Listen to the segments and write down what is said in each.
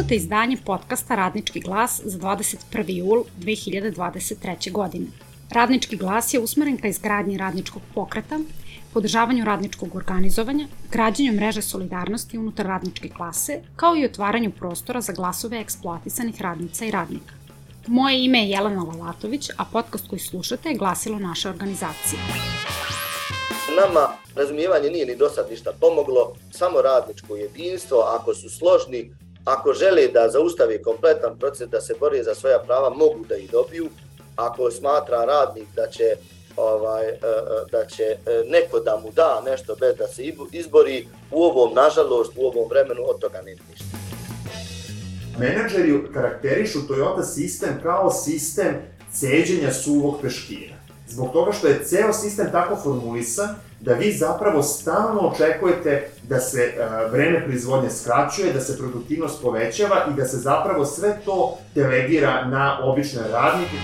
Slušate izdanje podcasta Radnički glas za 21. jul 2023. godine. Radnički glas je usmeren ka izgradnji radničkog pokreta, podržavanju radničkog organizovanja, građenju mreže solidarnosti unutar radničke klase, kao i otvaranju prostora za glasove eksploatisanih radnica i radnika. Moje ime je Jelena Lalatović, a podcast koji slušate je glasilo naše organizacije. Nama razumijevanje nije ni do sad ništa pomoglo, samo radničko jedinstvo, ako su složni, ako žele da zaustave kompletan proces, da se bore za svoja prava, mogu da ih dobiju. Ako smatra radnik da će neko da mu da nešto bez da se izbori, u ovom, nažalost, u ovom vremenu od toga nema ništa. Menadžeri karakterišu Toyota sistem kao sistem ceđenja suvog peškira. Zbog toga što je ceo sistem tako formulisan da vi zapravo stalno očekujete da se vreme proizvodnje skraćuje, da se produktivnost povećava i da se zapravo sve to delegira na obične radnike.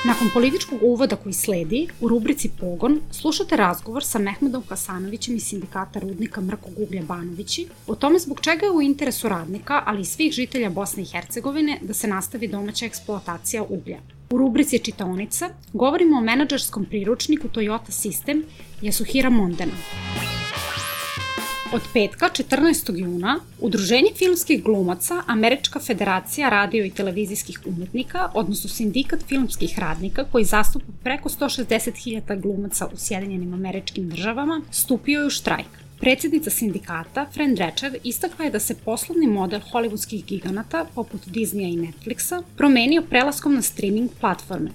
Nakon političkog uvoda koji sledi, u rubrici Pogon slušate razgovor sa Mehmedom Hasanovićem iz Sindikata rudnika Mrkog uglja Banovići o tome zbog čega je u interesu radnika, ali i svih žitelja Bosne i Hercegovine da se nastavi domaća eksploatacija uglja. U rubrici Čitaonica govorimo o menadžerskom priručniku Toyota System Yasuhira Mondena. Od petka, 14. juna, Udruženje filmskih glumaca, Američka federacija radio i televizijskih umetnika, odnosno Sindikat filmskih radnika, koji zastupa preko 160.000 glumaca u Sjedinjenim Američkim Državama, stupio je u štrajk. Predsjednica sindikata, Fran Drescher, istakla je da se poslovni model hollywoodskih giganata, poput Disneya i Netflixa, promenio prelaskom na streaming platforme.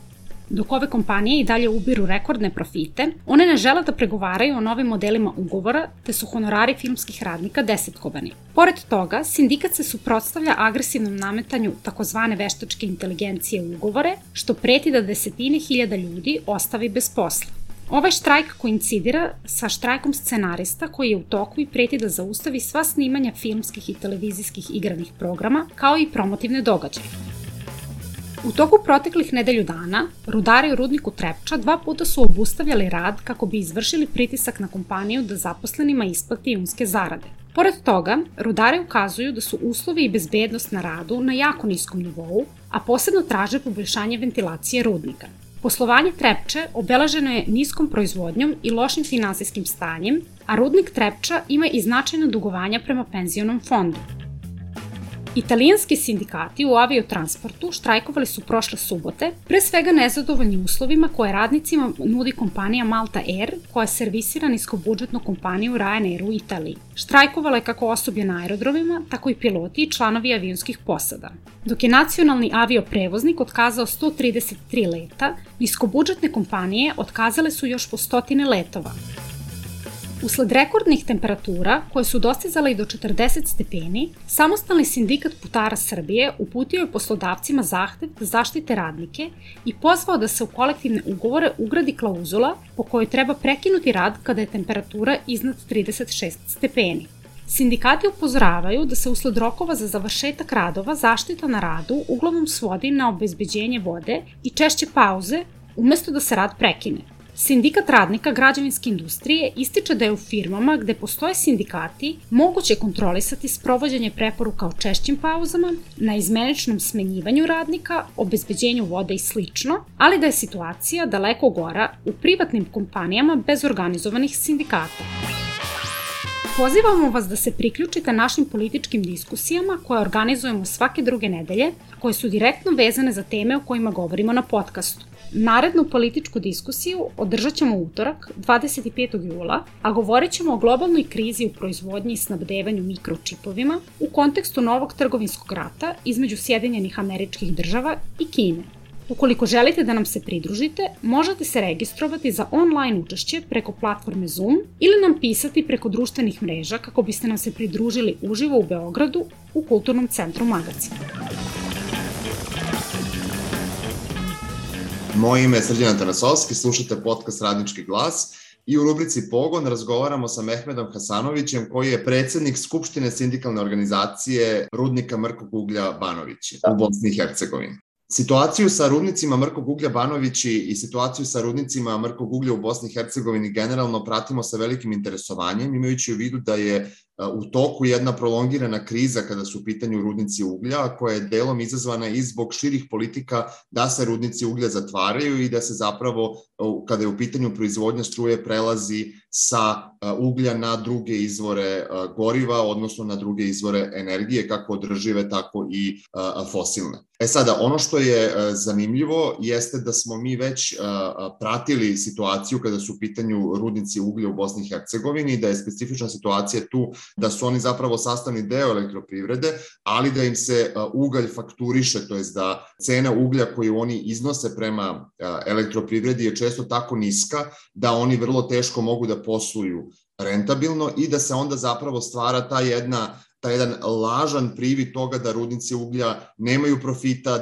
Dok ove kompanije i dalje ubiru rekordne profite, one ne žele da pregovaraju o novim modelima ugovora, te su honorari filmskih radnika desetkovani. Pored toga, sindikat se suprotstavlja agresivnom nametanju takozvane veštačke inteligencije u ugovore, što preti da desetine hiljada ljudi ostavi bez posla. Ovaj štrajk koincidira sa štrajkom scenarista koji je u toku i preti da zaustavi sva snimanja filmskih i televizijskih igranih programa, kao i promotivne događaje. U toku proteklih nedelju dana, rudari u rudniku Trepča 2 puta su obustavljali rad kako bi izvršili pritisak na kompaniju da zaposlenima isplati junske zarade. Pored toga, rudari ukazuju da su uslovi i bezbednost na radu na jako niskom nivou, a posebno traže poboljšanje ventilacije rudnika. Poslovanje Trepče obeleženo je niskom proizvodnjom i lošim finansijskim stanjem, a rudnik Trepča ima i značajna dugovanja prema penzionom fondu. Italijanski sindikati u aviotransportu štrajkovali su prošle subote, pre svega nezadovoljni uslovima koje radnicima nudi kompanija Malta Air, koja servisira niskobudžetnu kompaniju Ryanair u Italiji. Štrajkovala je kako osoblje na aerodromima, tako i piloti i članovi avionskih posada. Dok je nacionalni avioprevoznik otkazao 133 leta, niskobudžetne kompanije otkazale su još po stotine letova. Usled rekordnih temperatura, koje su dostizale i do 40 stepeni, Samostalni sindikat putara Srbije uputio je poslodavcima zahtev da zaštite radnike i pozvao da se u kolektivne ugovore ugradi klauzula po kojoj treba prekinuti rad kada je temperatura iznad 36 stepeni. Sindikati upozoravaju da se usled rokova za završetak radova zaštita na radu uglavnom svodi na obezbeđenje vode i češće pauze, umesto da se rad prekine. Sindikat radnika građevinske industrije ističe da je u firmama gde postoje sindikati moguće kontrolisati sprovođenje preporuka o češćim pauzama, na izmeničnom smenjivanju radnika, obezbeđenju vode i slično, ali da je situacija daleko gora u privatnim kompanijama bez organizovanih sindikata. Pozivamo vas da se priključite našim političkim diskusijama koje organizujemo svake druge nedelje, koje su direktno vezane za teme o kojima govorimo na podcastu. Narednu političku diskusiju održat ćemo utorak, 25. jula, a govorit ćemo o globalnoj krizi u proizvodnji i snabdevanju mikročipovima u kontekstu novog trgovinskog rata između Sjedinjenih Američkih Država i Kine. Ukoliko želite da nam se pridružite, možete se registrovati za online učešće preko platforme Zoom ili nam pisati preko društvenih mreža kako biste nam se pridružili uživo u Beogradu u Kulturnom centru Magacin. Moje ime je Srđan Tarasovski, slušate podcast Radnički glas i u rubrici Pogon razgovaramo sa Mehmedom Hasanovićem koji je predsjednik Skupštine sindikalne organizacije rudnika Mrkog uglja Banovići u Bosni i Hercegovini. Situaciju sa rudnicima Mrkog uglja Banovići i situaciju sa rudnicima Mrkog uglja u Bosni i Hercegovini generalno pratimo sa velikim interesovanjem, imajući u vidu da je u toku jedna prolongirana kriza kada su u pitanju rudnici uglja, koja je delom izazvana i zbog širih politika da se rudnici uglja zatvaraju i da se zapravo, kada je u pitanju proizvodnja struje, prelazi sa uglja na druge izvore goriva, odnosno na druge izvore energije, kako održive, tako i fosilne. Sada, ono što je zanimljivo jeste da smo mi već pratili situaciju kada su u pitanju rudnici uglja u Bosni i Hercegovini, da je specifična situacija tu da su oni zapravo sastavni deo elektroprivrede, ali da im se ugalj fakturiše, to je da cena uglja koju oni iznose prema elektroprivredi je često tako niska da oni vrlo teško mogu da posluju rentabilno i da se onda zapravo stvara taj jedan lažan privid toga da rudnici uglja nemaju profita,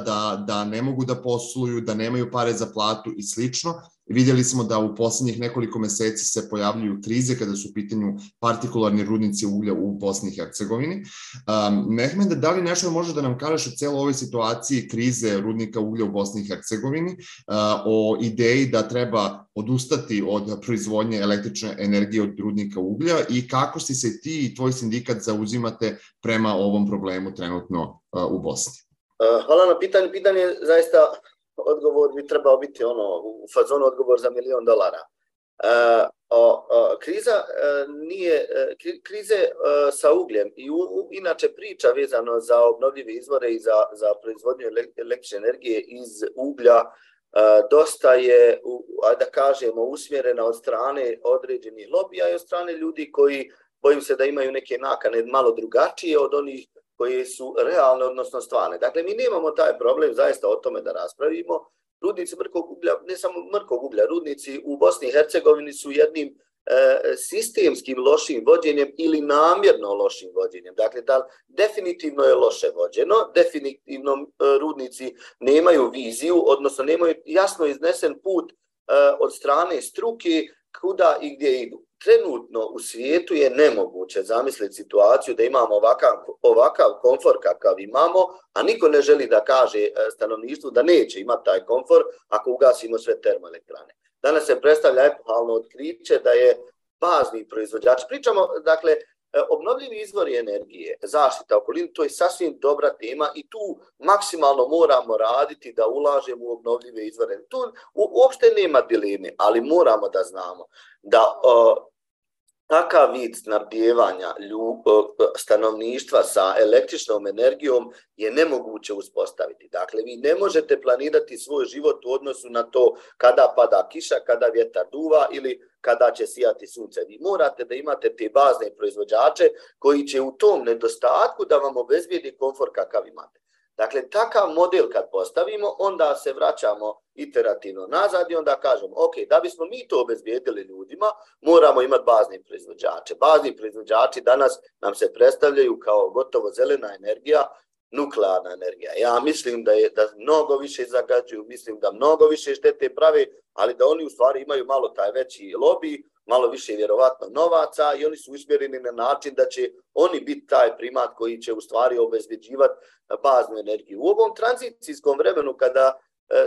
da ne mogu da posluju, da nemaju pare za platu i slično. Vidjeli smo da u poslednjih nekoliko meseci se pojavljuju krize kada su u pitanju partikularni rudnici uglja u Bosni i Hercegovini. Mehmede, da li nešto može da nam kažeš o celoj ovoj situaciji krize rudnika uglja u Bosni i Hercegovini, o ideji da treba odustati od proizvodnje električne energije od rudnika uglja i kako si se ti i tvoj sindikat zauzimate prema ovom problemu trenutno u Bosni? Hvala na pitanju. Pitanje je zaista, odgovor bi trebao biti u fazonu odgovor za $1 milion. Krize sa ugljem i inače priča vezano za obnovljive izvore i za proizvodnju električne energije iz uglja dosta je, da kažemo, usmjerena od strane određenih lobija i od strane ljudi koji, bojim se da imaju neke nakane malo drugačije od onih koje su realne, odnosno stvarne. Dakle, mi nemamo taj problem zaista o tome da raspravimo. Rudnici mrkog uglja, ne samo mrkog uglja, rudnici u Bosni i Hercegovini su jednim sistemskim lošim vođenjem ili namjerno lošim vođenjem. Dakle, definitivno je loše vođeno, definitivno rudnici nemaju viziju, odnosno nemaju jasno iznesen put od strane struke kuda i gdje idu. Trenutno u svijetu je nemoguće zamisliti situaciju da imamo ovakav komfor kakav imamo, a niko ne želi da kaže stanovništvu da neće imati taj komfor ako ugasimo sve termoelektrane. Danas se predstavlja epohalno otkriće da je bazni proizvođač. Pričamo, dakle, obnovljivi izvori energije, zaštita okoline, to je sasvim dobra tema i tu maksimalno moramo raditi da ulažemo u obnovljive izvore. Tu uopšte nema dileme, ali moramo da znamo da takav vid snabdijevanja stanovništva sa električnom energijom je nemoguće uspostaviti. Dakle, vi ne možete planirati svoj život u odnosu na to kada pada kiša, kada vjetar duva ili kada će sijati sunce. Vi morate da imate te bazne proizvođače koji će u tom nedostatku da vam obezbijedi komfor kakav imate. Dakle, takav model kad postavimo, onda se vraćamo iterativno nazad i onda kažemo, ok, da bismo mi to obezbijedili ljudima, moramo imati bazne proizvođače. Bazni proizvođači danas nam se predstavljaju kao gotovo zelena energija, nuklearna energija. Ja mislim da mnogo više zagađuju, mislim da mnogo više štete prave, ali da oni u stvari imaju malo taj veći lobby, malo više vjerovatno novaca i oni su usmjereni na način da će oni biti taj primat koji će u stvari obezbeđivati baznu energiju. U ovom tranzicijskom vremenu kada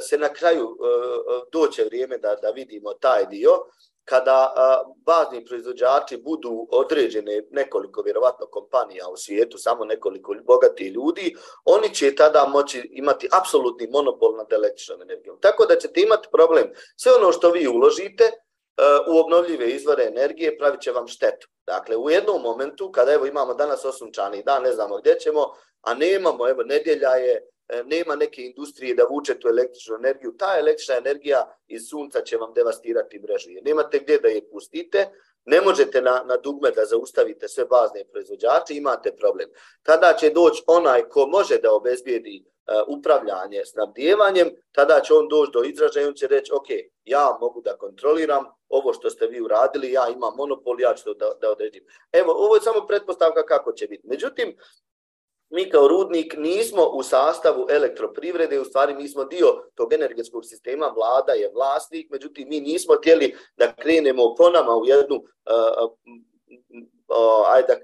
se na kraju doće vrijeme da vidimo taj dio, kada bazni proizvođači budu određene nekoliko vjerovatno kompanija u svijetu, samo nekoliko bogatih ljudi, oni će tada moći imati apsolutni monopol nad električnom energijom. Tako da ćete imati problem. Sve ono što vi uložite u obnovljive izvore energije pravit će vam štetu. Dakle, u jednom momentu, kada imamo danas osunčani dan, ne znamo gdje ćemo, a nemamo, nedjelja je, nema neke industrije da vuče tu električnu energiju, ta električna energija iz sunca će vam devastirati mrežu. Nemate gdje da je pustite, ne možete na dugme da zaustavite sve bazne proizvođače, imate problem. Tada će doći onaj ko može da obezbijedi upravljanje snabdijevanjem, tada će on doći do izražaja i on će reći, ok, ja mogu da kontroliram ovo što ste vi uradili, ja imam monopol, ja ću to da odredim. Evo, ovo je samo pretpostavka kako će biti. Međutim, mi kao rudnik nismo u sastavu elektroprivrede, u stvari mi smo dio tog energetskog sistema, vlada je vlasnik, međutim mi nismo htjeli da krenemo po nama u jednu,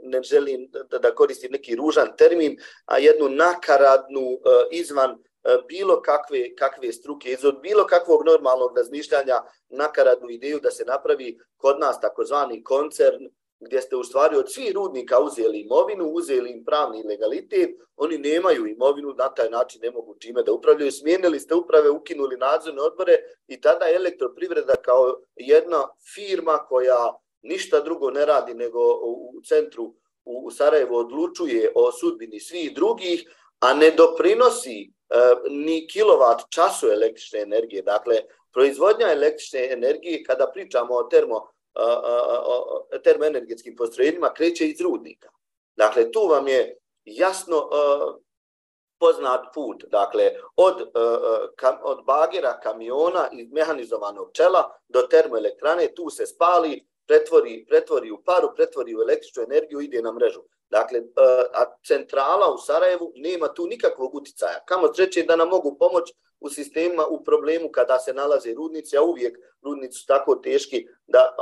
ne želim da koristim neki ružan termin, a jednu nakaradnu izvan bilo kakve struke, iz bilo kakvog normalnog razmišljanja nakaradnu ideju da se napravi kod nas takozvani koncern gdje ste u stvari od svih rudnika uzeli imovinu, uzeli im pravni legalitet, oni nemaju imovinu, na taj način ne mogu čime da upravljaju, smijenili ste uprave, ukinuli nadzorne odbore i tada je Elektroprivreda kao jedna firma koja ništa drugo ne radi nego u centru u Sarajevu odlučuje o sudbini svih drugih, a ne doprinosi ni kilovat času električne energije. Dakle, proizvodnja električne energije, kada pričamo o termoenergetskim postrojenjima, kreće iz rudnika. Dakle, tu vam je jasno poznat put. Dakle, od bagera, kamiona i mehanizovanog čela do termoelektrane, tu se spali, pretvori u paru, pretvori u električnu energiju, ide na mrežu. Dakle, a centrala u Sarajevu nema tu nikakvog uticaja. Kamo sreće da nam mogu pomoći u sistemima, u problemu kada se nalaze rudnici, a uvijek rudnici su tako teški, da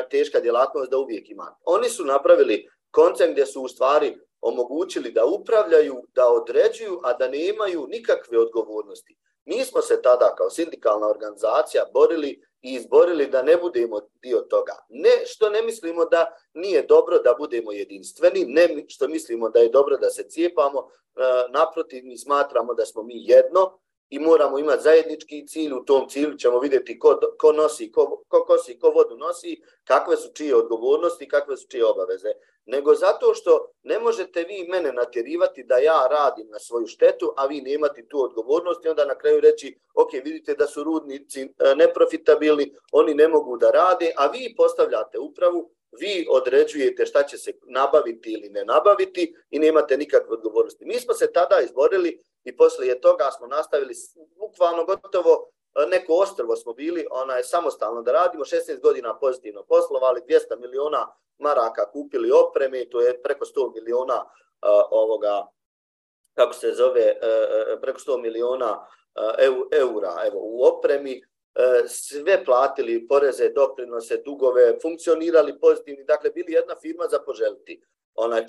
teška djelatnost da uvijek ima. Oni su napravili koncept gdje su u stvari omogućili da upravljaju, da određuju, a da nemaju nikakve odgovornosti. Mi smo se tada kao sindikalna organizacija borili i izborili da ne budemo dio toga. Ne što ne mislimo da nije dobro da budemo jedinstveni, ne što mislimo da je dobro da se cijepamo, naprotiv, mi smatramo da smo mi jedno i moramo imati zajednički cilj. U tom cilju ćemo vidjeti ko nosi, ko kosi, ko vodu nosi, kakve su čije odgovornosti, kakve su čije obaveze. Nego zato što ne možete vi mene natjerivati da ja radim na svoju štetu, a vi nemate tu odgovornost i onda na kraju reći, ok, vidite da su rudnici neprofitabilni, oni ne mogu da rade, a vi postavljate upravu, vi određujete šta će se nabaviti ili ne nabaviti i nemate nikakve odgovornosti. Mi smo se tada izborili i poslije toga smo nastavili bukvalno gotovo neko ostrvo smo bili, samostalno da radimo, 16 godina pozitivno poslovali, 200 miliona maraka kupili opreme, to je preko 100 miliona preko 100 miliona eura u opremi, sve platili poreze, doprinose, dugove, funkcionirali pozitivni, dakle bili jedna firma za poželiti.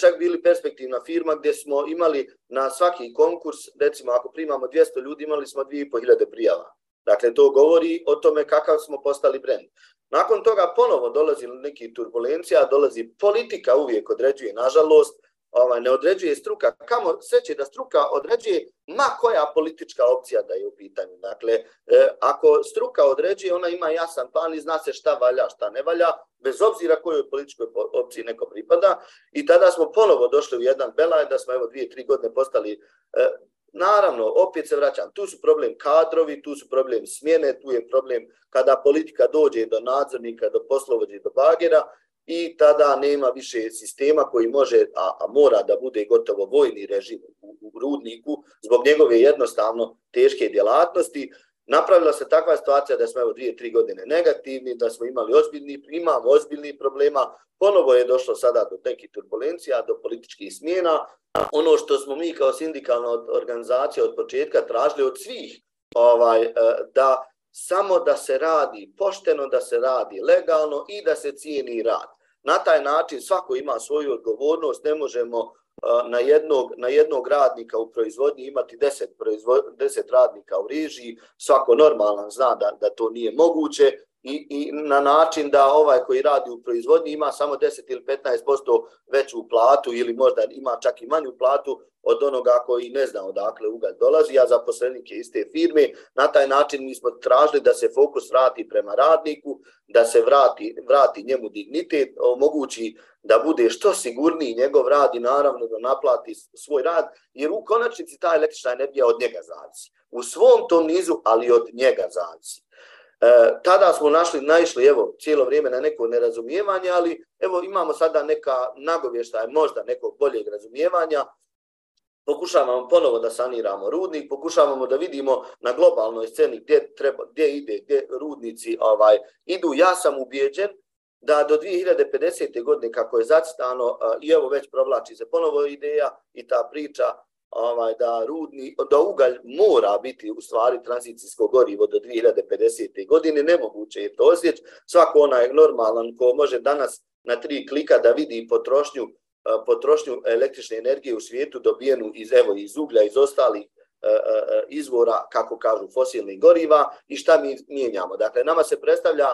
Čak bili perspektivna firma gdje smo imali na svaki konkurs, recimo ako primamo 200 ljudi, imali smo 2500 prijava. Dakle, to govori o tome kakav smo postali brend. Nakon toga ponovo dolazi neki turbulencija, dolazi politika, uvijek određuje, nažalost, ne određuje struka. Kamo sreće da struka određuje ma koja politička opcija da je u pitanju. Dakle, ako struka određuje, ona ima jasan plan i zna se šta valja, šta ne valja, bez obzira kojoj političkoj opciji neko pripada. I tada smo ponovo došli u jedan belaj, da smo 2-3 godine postali. Naravno, opet se vraćam, tu su problem kadrovi, tu su problem smjene, tu je problem kada politika dođe do nadzornika, do poslovođe, do bagera i tada nema više sistema koji može, a mora da bude gotovo vojni režim u rudniku zbog njegove jednostavno teške djelatnosti. Napravila se takva situacija da smo 2-3 godine negativni, da smo imamo ozbiljnih problema, ponovo je došlo sada do nekih turbulencija, do političkih smjena. Ono što smo mi kao sindikalna organizacija od početka tražili od svih, da samo da se radi pošteno, da se radi legalno i da se cijeni rad. Na taj način svako ima svoju odgovornost, ne možemo na jednog radnika u proizvodnji imati 10 radnika u režiji, svako normalan zna da to nije moguće i na način da ovaj koji radi u proizvodnji ima samo 10 ili 15% veću platu ili možda ima čak i manju platu od onoga koji ne zna odakle ugalj dolazi, a zaposlenik je iste firme. Na taj način mi smo tražili da se fokus vrati prema radniku, da se vrati njemu dignitet, omogući da bude što sigurniji njegov rad i naravno da naplati svoj rad, jer u konačnici ta električna energija od njega zavisi. U svom tom nizu, ali od njega zavisi. Tada smo naišli cijelo vrijeme na neko nerazumijevanje, ali imamo sada neka nagovještaja, možda nekog boljeg razumijevanja. Pokušavamo ponovo da saniramo rudnik, pokušavamo da vidimo na globalnoj sceni gdje rudnici idu. Ja sam ubijeđen da do 2050. godine, kako je zacrtano, i već provlači se ponovo ideja i ta priča, da ugalj mora biti u stvari tranzicijsko gorivo do 2050. godine, nemoguće je to osjeći. Svako onaj normalan ko može danas na 3 klika da vidi potrošnju električne energije u svijetu dobijenu iz uglja, iz ostalih izvora, kako kažu, fosilnih goriva i šta mi mijenjamo. Dakle, nama se predstavlja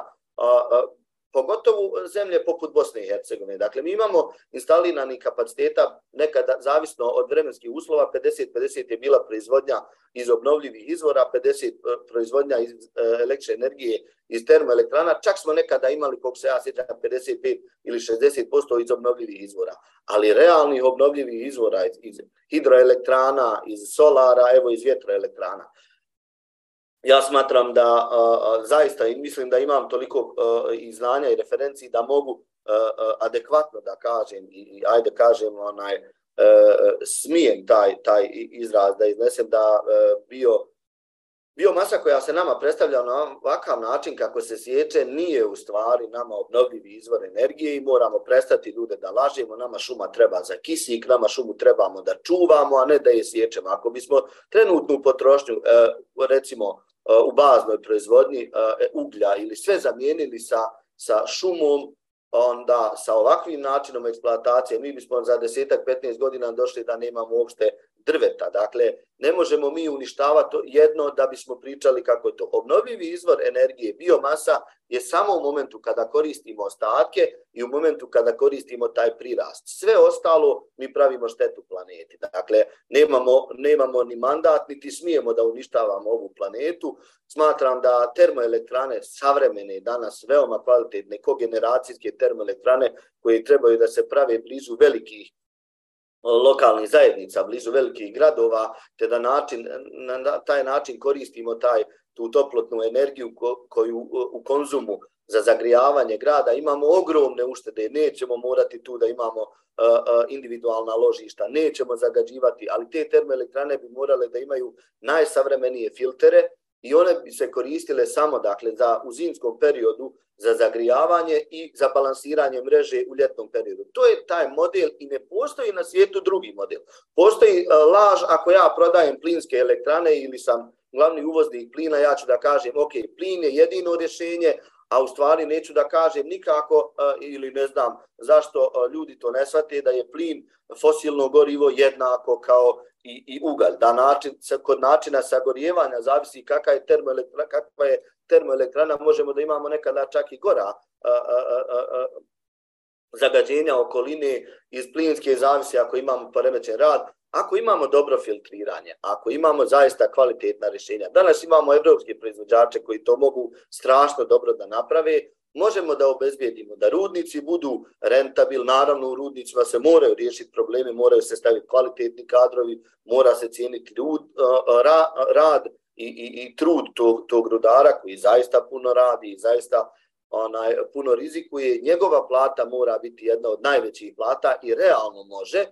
pogotovo zemlje poput Bosne i Hercegovine. Dakle, mi imamo instaliranih kapaciteta, nekada zavisno od vremenskih uslova, 50-50 je bila proizvodnja iz obnovljivih izvora, 50 proizvodnja iz električne energije iz termoelektrana, čak smo nekada imali, koliko se ja sjećam, 55 ili 60% iz obnovljivih izvora. Ali realnih obnovljivih izvora iz hidroelektrana, iz solara, evo iz vjetroelektrana. Ja smatram da zaista i mislim da imam toliko i znanja i referenciji da mogu adekvatno da kažem i ajde kažem smijem taj izraz da iznesem da biomasa koja se nama predstavlja na ovakav način kako se sječe nije u stvari nama obnovljivi izvor energije i moramo prestati ljude da lažemo, nama šuma treba za kisik, nama šumu trebamo da čuvamo, a ne da je sječemo. Ako bismo trenutnu potrošnju, recimo u baznoj proizvodnji uglja ili sve zamijenili sa šumom, onda sa ovakvim načinom eksploatacije mi bismo za 10-15 godina došli da nemamo uopšte drveta. Dakle, ne možemo mi uništavati jedno da bismo pričali kako je to. Obnovljivi izvor energije, biomasa, je samo u momentu kada koristimo ostatke i u momentu kada koristimo taj prirast. Sve ostalo mi pravimo štetu planeti. Dakle, nemamo ni mandat, niti smijemo da uništavamo ovu planetu. Smatram da termoelektrane savremene danas veoma kvalitetne kogeneracijske termoelektrane koje trebaju da se prave blizu velikih lokalnih zajednica, blizu velikih gradova, te da na taj način koristimo tu toplotnu energiju koju u konzumu za zagrijavanje grada imamo ogromne uštede, nećemo morati tu da imamo individualna ložišta, nećemo zagađivati, ali te termoelektrane bi morale da imaju najsavremenije filtere i one bi se koristile samo dakle u zimskom periodu za zagrijavanje i za balansiranje mreže u ljetnom periodu. To je taj model i ne postoji na svijetu drugi model. Postoji laž ako ja prodajem plinske elektrane ili sam glavni uvoznik plina, ja ću da kažem ok, plin je jedino rješenje, a u stvari neću da kažem nikako ili ne znam zašto ljudi to ne shvate da je plin fosilno gorivo jednako kao i ugalj. Kod načina sagorijevanja zavisi kakva je termoelektrana, možemo da imamo nekada čak i gora zagađenja okoline iz plinske, zavisi ako imamo poremećen rad, ako imamo dobro filtriranje, ako imamo zaista kvalitetna rješenja. Danas imamo evropske proizvođače koji to mogu strašno dobro da naprave. Možemo da obezbijedimo da rudnici budu rentabilni, naravno u rudnicima se moraju riješiti problemi, moraju se staviti kvalitetni kadrovi, mora se cijeniti rad i trud tog rudara koji zaista puno radi i zaista puno rizikuje. Njegova plata mora biti jedna od najvećih plata i realno može.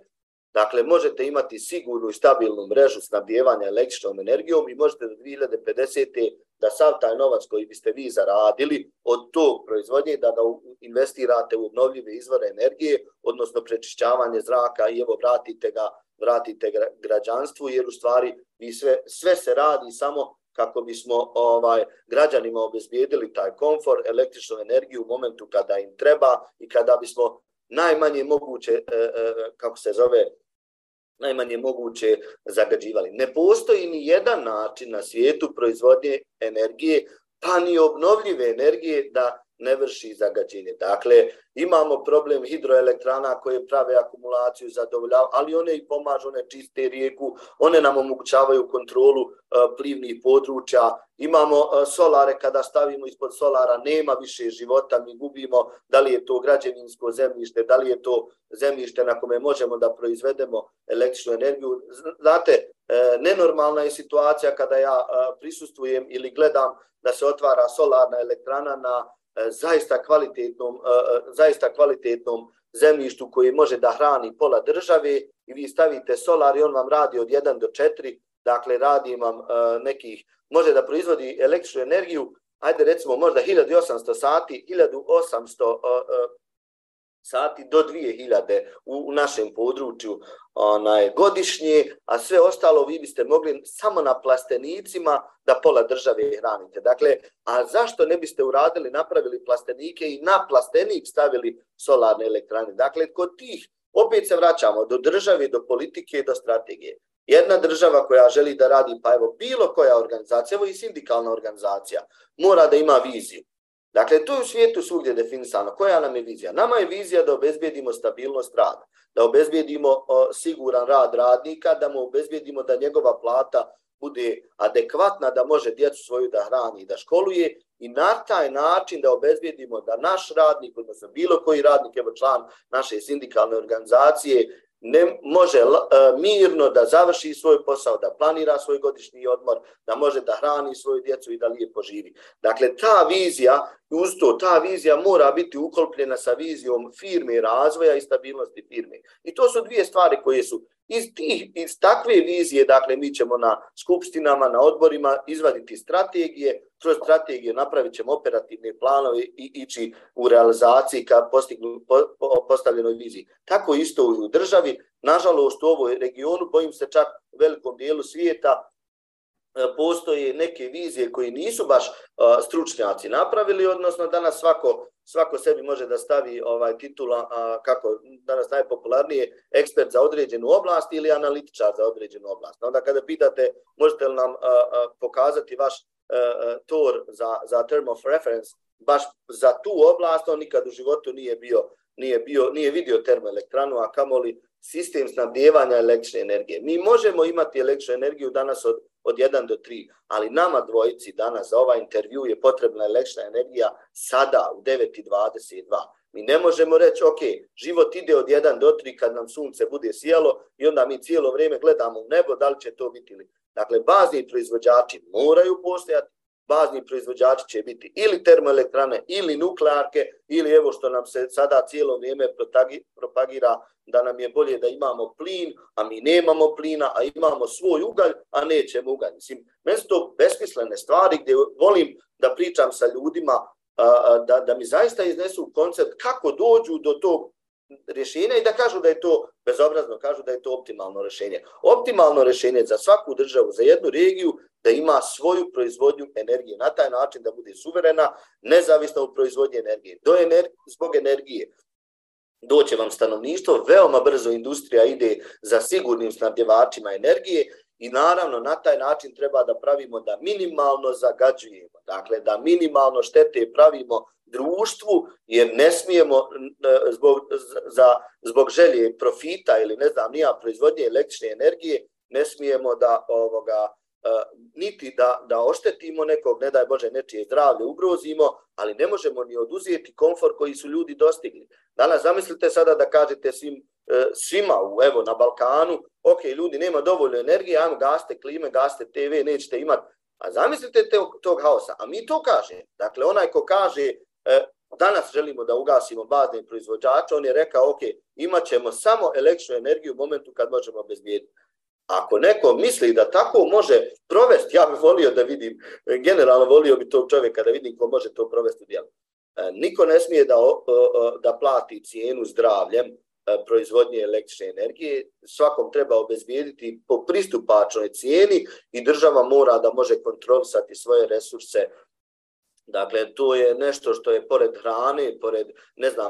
Dakle, možete imati sigurnu i stabilnu mrežu snabdijevanja električnom energijom i možete do 2050. da sav taj novac koji biste vi zaradili od tog proizvodnje, da ga investirate u obnovljive izvore energije, odnosno prečišćavanje zraka i evo vratite građanstvu, jer u stvari sve se radi samo kako bismo građanima obezbijedili taj komfor, električnu energiju u momentu kada im treba i kada bismo najmanje moguće zagađivali. Ne postoji ni jedan način na svijetu proizvodnje energije, pa ni obnovljive energije da ne vrši zagađenje. Dakle, imamo problem hidroelektrana koje prave akumulaciju, zadovoljavaju, ali one i pomažu, one čiste rijeku, one nam omogućavaju kontrolu plivnih područja. Imamo solare, kada stavimo ispod solara nema više života, mi gubimo, da li je to građevinsko zemljište, da li je to zemljište na kome možemo da proizvedemo električnu energiju. Znate, nenormalna je situacija kada ja prisustvujem ili gledam da se otvara solarna elektrana na zaista kvalitetnom zemljištu koji može da hrani pola države i vi stavite solar i on vam radi od 1 do 4, dakle radi vam može da proizvodi električnu energiju, ajde recimo možda 1800 sati, 1800 sati do 2000 u našem području godišnje, a sve ostalo vi biste mogli samo na plastenicima da pola države hranite. Dakle, a zašto ne biste napravili plastenike i na plastenik stavili solarne elektrane? Dakle, kod tih, opet se vraćamo do države, do politike, do strategije. Jedna država koja želi da radi, pa evo bilo koja organizacija, evo i sindikalna organizacija, mora da ima viziju. Dakle, to je u svijetu svugdje definisano. Koja nam je vizija? Nama je vizija da obezbijedimo stabilnost rada, da obezbijedimo siguran rad radnika, da mu obezbijedimo da njegova plata bude adekvatna, da može djecu svoju da hrani i da školuje i na taj način da obezbijedimo da naš radnik, odnosno bilo koji radnik, evo član naše sindikalne organizacije, ne može mirno da završi svoj posao, da planira svoj godišnji odmor, da može da hrani svoju djecu i da lijepo živi. Dakle, ta vizija, uz to, ta vizija mora biti uklopljena sa vizijom firme, razvoja i stabilnosti firme. I to su dvije stvari koje su iz takve vizije, dakle, mi ćemo na skupštinama, na odborima izvaditi strategije, kroz strategije napravit ćemo operativne planove i ići u realizaciji ka postavljenoj viziji. Tako isto i u državi, nažalost u ovoj regionu, bojim se čak u velikom dijelu svijeta, postoje neke vizije koje nisu baš stručnjaci napravili, odnosno danas svako sebi može da stavi titula, kako danas najpopularnije, ekspert za određenu oblast ili analitičar za određenu oblast. Onda kada pitate, možete li nam pokazati vaš TOR za term of reference, baš za tu oblast, on nikad u životu nije vidio termoelektranu, a kamoli sistem snabdijevanja električne energije. Mi možemo imati električnu energiju danas od 1 do 3, ali nama dvojici danas za ovaj intervju je potrebna električna energija sada u 9:22. Mi ne možemo reći, ok, život ide od 1 do 3 kad nam sunce bude sijalo i onda mi cijelo vrijeme gledamo u nebo, da li će to biti ili. Dakle, bazni proizvođači moraju postojati, bazni proizvođači će biti ili termoelektrane, ili nuklearke, ili evo što nam se sada cijelo vrijeme propagira da nam je bolje da imamo plin, a mi nemamo plina, a imamo svoj ugalj, a nećemo ugalj. Mislim, meni su to besmislene stvari gdje volim da pričam sa ljudima, da mi zaista iznesu koncept kako dođu do tog rješenja i da kažu da je to bezobrazno, kažu da je to optimalno rješenje. Optimalno rješenje za svaku državu, za jednu regiju, da ima svoju proizvodnju energije. Na taj način da bude suverena, nezavisna u proizvodnji energije. Zbog energije doće vam stanovništvo, veoma brzo industrija ide za sigurnim snabdjevačima energije i naravno na taj način treba da pravimo da minimalno zagađujemo. Dakle, da minimalno štete pravimo društvu, jer ne smijemo zbog želje profita ili ne znam nija proizvodnje električne energije, ne smijemo da niti da oštetimo nekog, ne daj Bože nečije zdravlje ugrozimo, ali ne možemo ni oduzeti komfor koji su ljudi dostigli. Danas zamislite sada da kažete svima evo na Balkanu, ok, ljudi nema dovoljno energije, ajmo gasite klime, gasite TV, nećete imati. A zamislite tog haosa, a mi to kaže. Dakle, onaj ko kaže danas želimo da ugasimo bazne proizvođače, on je rekao, ok, imat ćemo samo električnu energiju u momentu kad možemo obezbijediti. Ako neko misli da tako može provesti, ja bih volio da vidim, generalno volio bi tog čovjeka da vidim ko može to provesti u djelu. Niko ne smije da plati cijenu zdravljem proizvodnje električne energije, svakom treba obezbijediti po pristupačnoj cijeni i država mora da može kontrolisati svoje resurse. Dakle, to je nešto što je pored hrane, pored,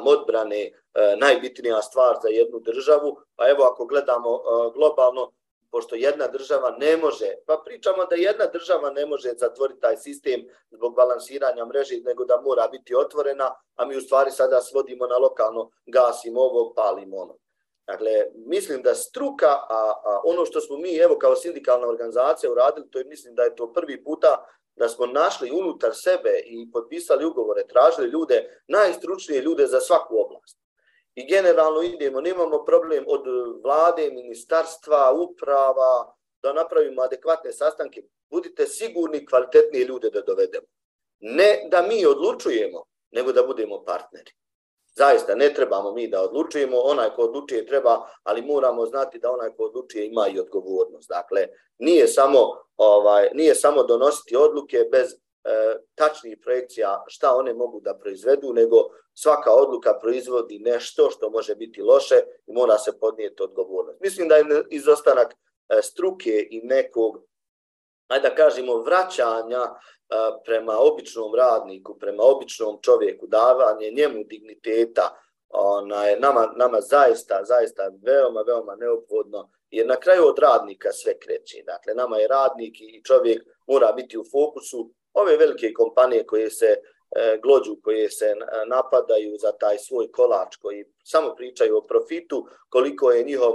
odbrane, najbitnija stvar za jednu državu. Pa evo, ako gledamo globalno, pošto jedna država ne može, pa pričamo da jedna država ne može zatvoriti taj sistem zbog balansiranja mreže, nego da mora biti otvorena, a mi u stvari sada svodimo na lokalno, gasimo ovo, palimo ono. Dakle, mislim da struka, a ono što smo mi, evo, kao sindikalna organizacija uradili, to je, mislim da je to prvi puta da smo našli unutar sebe i potpisali ugovore, tražili ljude, najstručnije ljude za svaku oblast. I generalno idemo, nemamo problem od vlade, ministarstva, uprava, da napravimo adekvatne sastanke. Budite sigurni kvalitetnije ljude da dovedemo. Ne da mi odlučujemo, nego da budemo partneri. Zaista, ne trebamo mi da odlučujemo, onaj ko odlučuje treba, ali moramo znati da onaj ko odlučuje ima i odgovornost. Dakle, nije samo donositi odluke bez tačnih projekcija šta one mogu da proizvedu, nego svaka odluka proizvodi nešto što može biti loše i mora se podnijeti odgovornost. Mislim da je izostanak struke i nekog, ajde da kažemo, vraćanja prema običnom radniku, prema običnom čovjeku, davanje njemu digniteta, nama zaista veoma neophodno, jer na kraju od radnika sve kreće. Dakle, nama je radnik i čovjek mora biti u fokusu. Ove velike kompanije koje se glođu koje se napadaju za taj svoj kolač, koji samo pričaju o profitu, koliko je njihov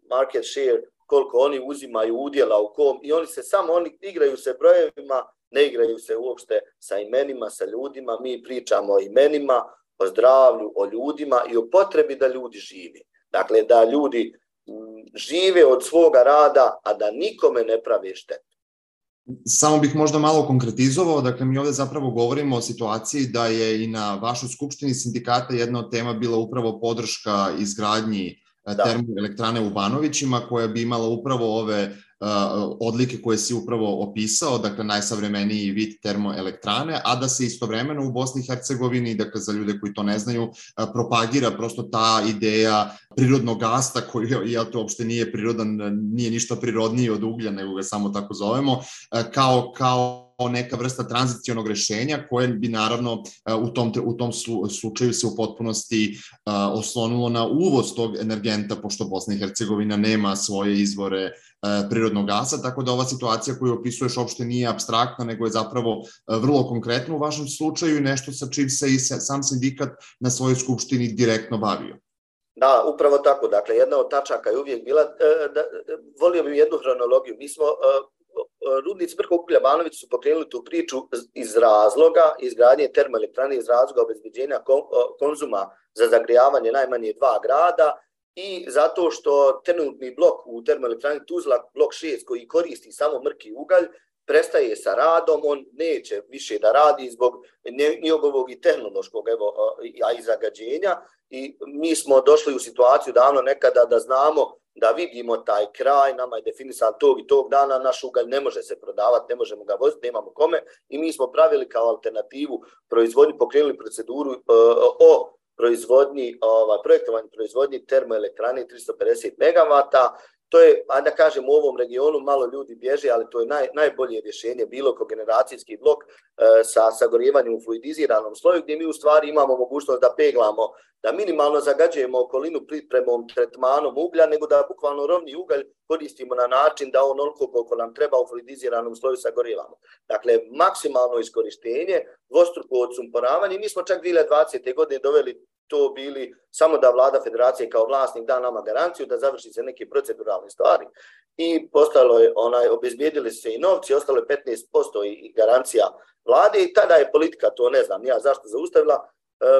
market share, koliko oni uzimaju udjela u kom, i oni igraju se brojevima, ne igraju se uopšte sa imenima, sa ljudima. Mi pričamo o imenima, o zdravlju, o ljudima i o potrebi da ljudi živi. Dakle, da ljudi žive od svoga rada, a da nikome ne prave štetu. Samo bih možda malo konkretizovao, dakle mi ovde zapravo govorimo o situaciji da je i na vašoj skupštini sindikata jedna od tema bila upravo podrška izgradnji termoelektrane u Banovićima, koja bi imala upravo ove odlike koje si upravo opisao, dakle najsavremeniji vid termoelektrane, a da se istovremeno u Bosni i Hercegovini, dakle za ljude koji to ne znaju, propagira prosto ta ideja prirodnog gasa, koji to uopšte nije prirodan, nije ništa prirodniji od uglja, nego ga samo tako zovemo, kao neka vrsta tranzicionog rešenja koje bi naravno u tom slučaju se u potpunosti oslonilo na uvoz tog energenta, pošto Bosna i Hercegovina nema svoje izvore prirodnog gasa, tako da ova situacija koju opisuješ uopšte nije apstraktna, nego je zapravo vrlo konkretna u vašem slučaju i nešto sa čim se i sam sindikat na svojoj skupštini direktno bavio. Da, upravo tako. Dakle, jedna od tačaka je uvijek bila, volio bih jednu hronologiju. Mi smo rudnici Mrkog uglja Banović su pokrenuli tu priču iz razloga izgradnje termoelektrane, iz razloga obezbeđenja konzuma za zagrijavanje najmanje 2 grada i zato što trenutni blok u termoelektrani Tuzla, blok 6, koji koristi samo mrki ugalj, prestaje sa radom, on neće više da radi zbog njegovog i tehnološkog i zagađenja, i mi smo došli u situaciju davno nekada da znamo, da vidimo taj kraj, nama je definisan tog i tog dana, naš ugalj ne može se prodavati, ne možemo ga voziti, nemamo kome, i mi smo pravili kao alternativu proizvodnju, pokrenuli proceduru o proizvodnji, projektovanju proizvodnji termoelektrane 350 MW. To je, da kažem, u ovom regionu malo ljudi bježe, ali to je najbolje rješenje, bilo kogeneracijski blok sa sagorijevanjem u fluidiziranom sloju, gdje mi u stvari imamo mogućnost da peglamo, da minimalno zagađujemo okolinu pripremom, tretmanom uglja, nego da bukvalno rovni ugalj koristimo na način da onoliko koliko nam treba u fluidiziranom sloju sagorijevamo. Dakle, maksimalno iskorištenje, dvostruko odsumporavanje. Mi smo čak 2020. godine doveli to bili samo da vlada federacije kao vlasnik da nama garanciju da završi se neke proceduralne stvari, i postalo je obezbijedili se i novci, ostalo je 15% i garancija vlade, i tada je politika, to ne znam ja zašto, zaustavila.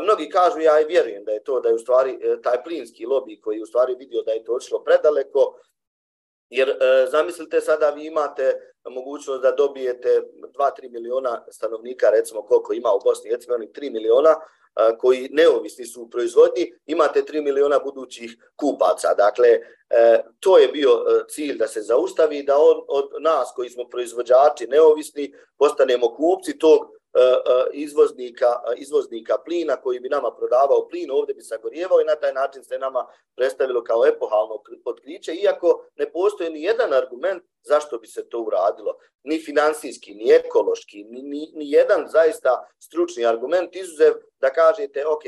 Mnogi kažu, ja i vjerujem da je to, da je u stvari taj plinski lobby koji u stvari vidio da je to odšlo predaleko, jer zamislite sada vi imate mogućnost da dobijete 2-3 miliona stanovnika, recimo koliko ima u Bosni i Hercegovini, 3 miliona koji neovisni su u proizvodnji, imate 3 miliona budućih kupaca. Dakle, to je bio cilj da se zaustavi, da od nas koji smo proizvođači neovisni postanemo kupci tog izvoznika plina koji bi nama prodavao plin, ovdje bi sagorijevao, i na taj način se nama predstavilo kao epohalno otkriće, iako ne postoji ni jedan argument zašto bi se to uradilo. Ni finansijski, ni ekološki, ni jedan zaista stručni argument, izuzev da kažete, ok,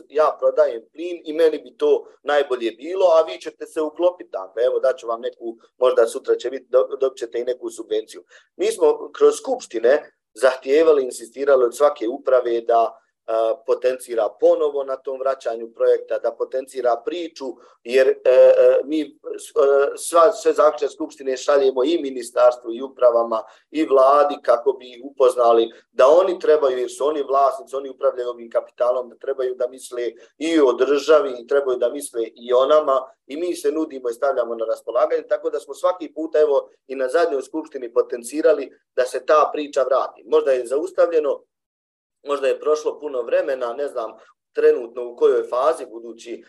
ja prodajem plin i meni bi to najbolje bilo, a vi ćete se uklopiti tamo. Evo, daću vam neku, možda sutra će biti, dobit ćete i neku subvenciju. Mi smo kroz skupštine zahtijevali, insistirali od svake uprave da potencira ponovo na tom vraćanju projekta, da potencira priču, jer mi sve zaključne skupštine šaljemo i ministarstvu i upravama i vladi kako bi ih upoznali da oni trebaju, jer su oni vlasnici, oni upravljaju ovim kapitalom, da trebaju da misle i o državi, i trebaju da misle i o nama, i mi se nudimo i stavljamo na raspolaganje, tako da smo svaki puta, evo i na zadnjoj skupštini potencirali da se ta priča vrati. Možda je zaustavljeno, možda je prošlo puno vremena, ne znam trenutno u kojoj fazi, budući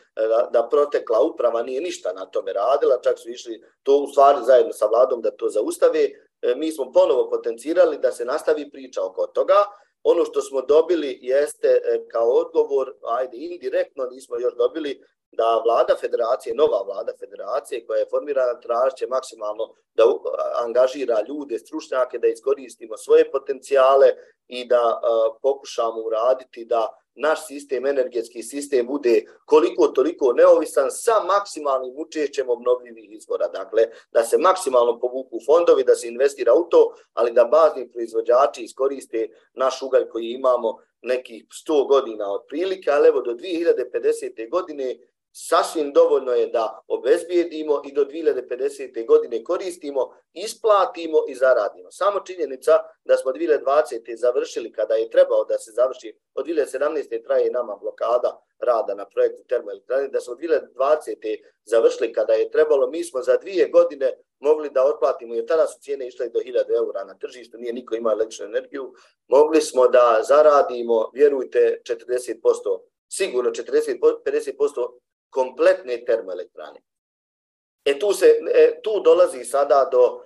da protekla uprava nije ništa na tome radila, čak su išli to u stvari zajedno sa vladom da to zaustave. Mi smo ponovo potencirali da se nastavi priča oko toga. Ono što smo dobili jeste kao odgovor, ajde indirektno nismo još dobili, da vlada federacije, nova vlada federacije koja je formirana, tražiće maksimalno da angažira ljude, stručnjake, da iskoristimo svoje potencijale i da pokušamo uraditi da naš sistem, energetski sistem bude koliko toliko neovisan sa maksimalnim učešćem obnovljivih izvora. Dakle, da se maksimalno povuku fondovi, da se investira u to, ali da bazni proizvođači iskoriste naš ugalj koji imamo nekih 100 godina otprilike, ali evo do 2050. godine sasvim dovoljno je da obezbijedimo i do 2050. godine koristimo, isplatimo i zaradimo. Samo činjenica da smo 2020. završili kada je trebao da se završi, od 2017. traje nama blokada rada na projektu termoelektrane, da smo od 2020. završili kada je trebalo, mi smo za 2 godine mogli da otplatimo, jer tada su cijene išle do 1000 eura na tržištu, nije niko imao električnu energiju, mogli smo da zaradimo, vjerujte, 40%, sigurno 40-50% kompletne termoelektrane. Tu dolazi sada do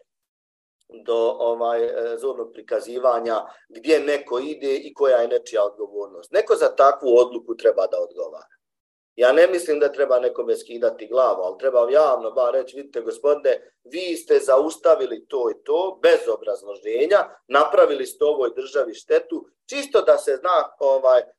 zornog prikazivanja gdje neko ide i koja je nečija odgovornost. Neko za takvu odluku treba da odgovara. Ja ne mislim da treba nekome skidati glavu, ali treba javno bar reći, vidite gospodine, vi ste zaustavili to i to bez obrazloženja, napravili ste ovoj državi štetu, čisto da se zna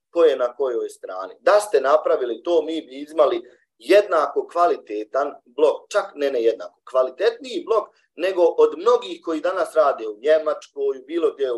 ko je na kojoj strani. Da ste napravili to, mi bi imali jednako kvalitetan blok, čak ne jednako, kvalitetniji blok nego od mnogih koji danas rade u Njemačkoj, bilo gdje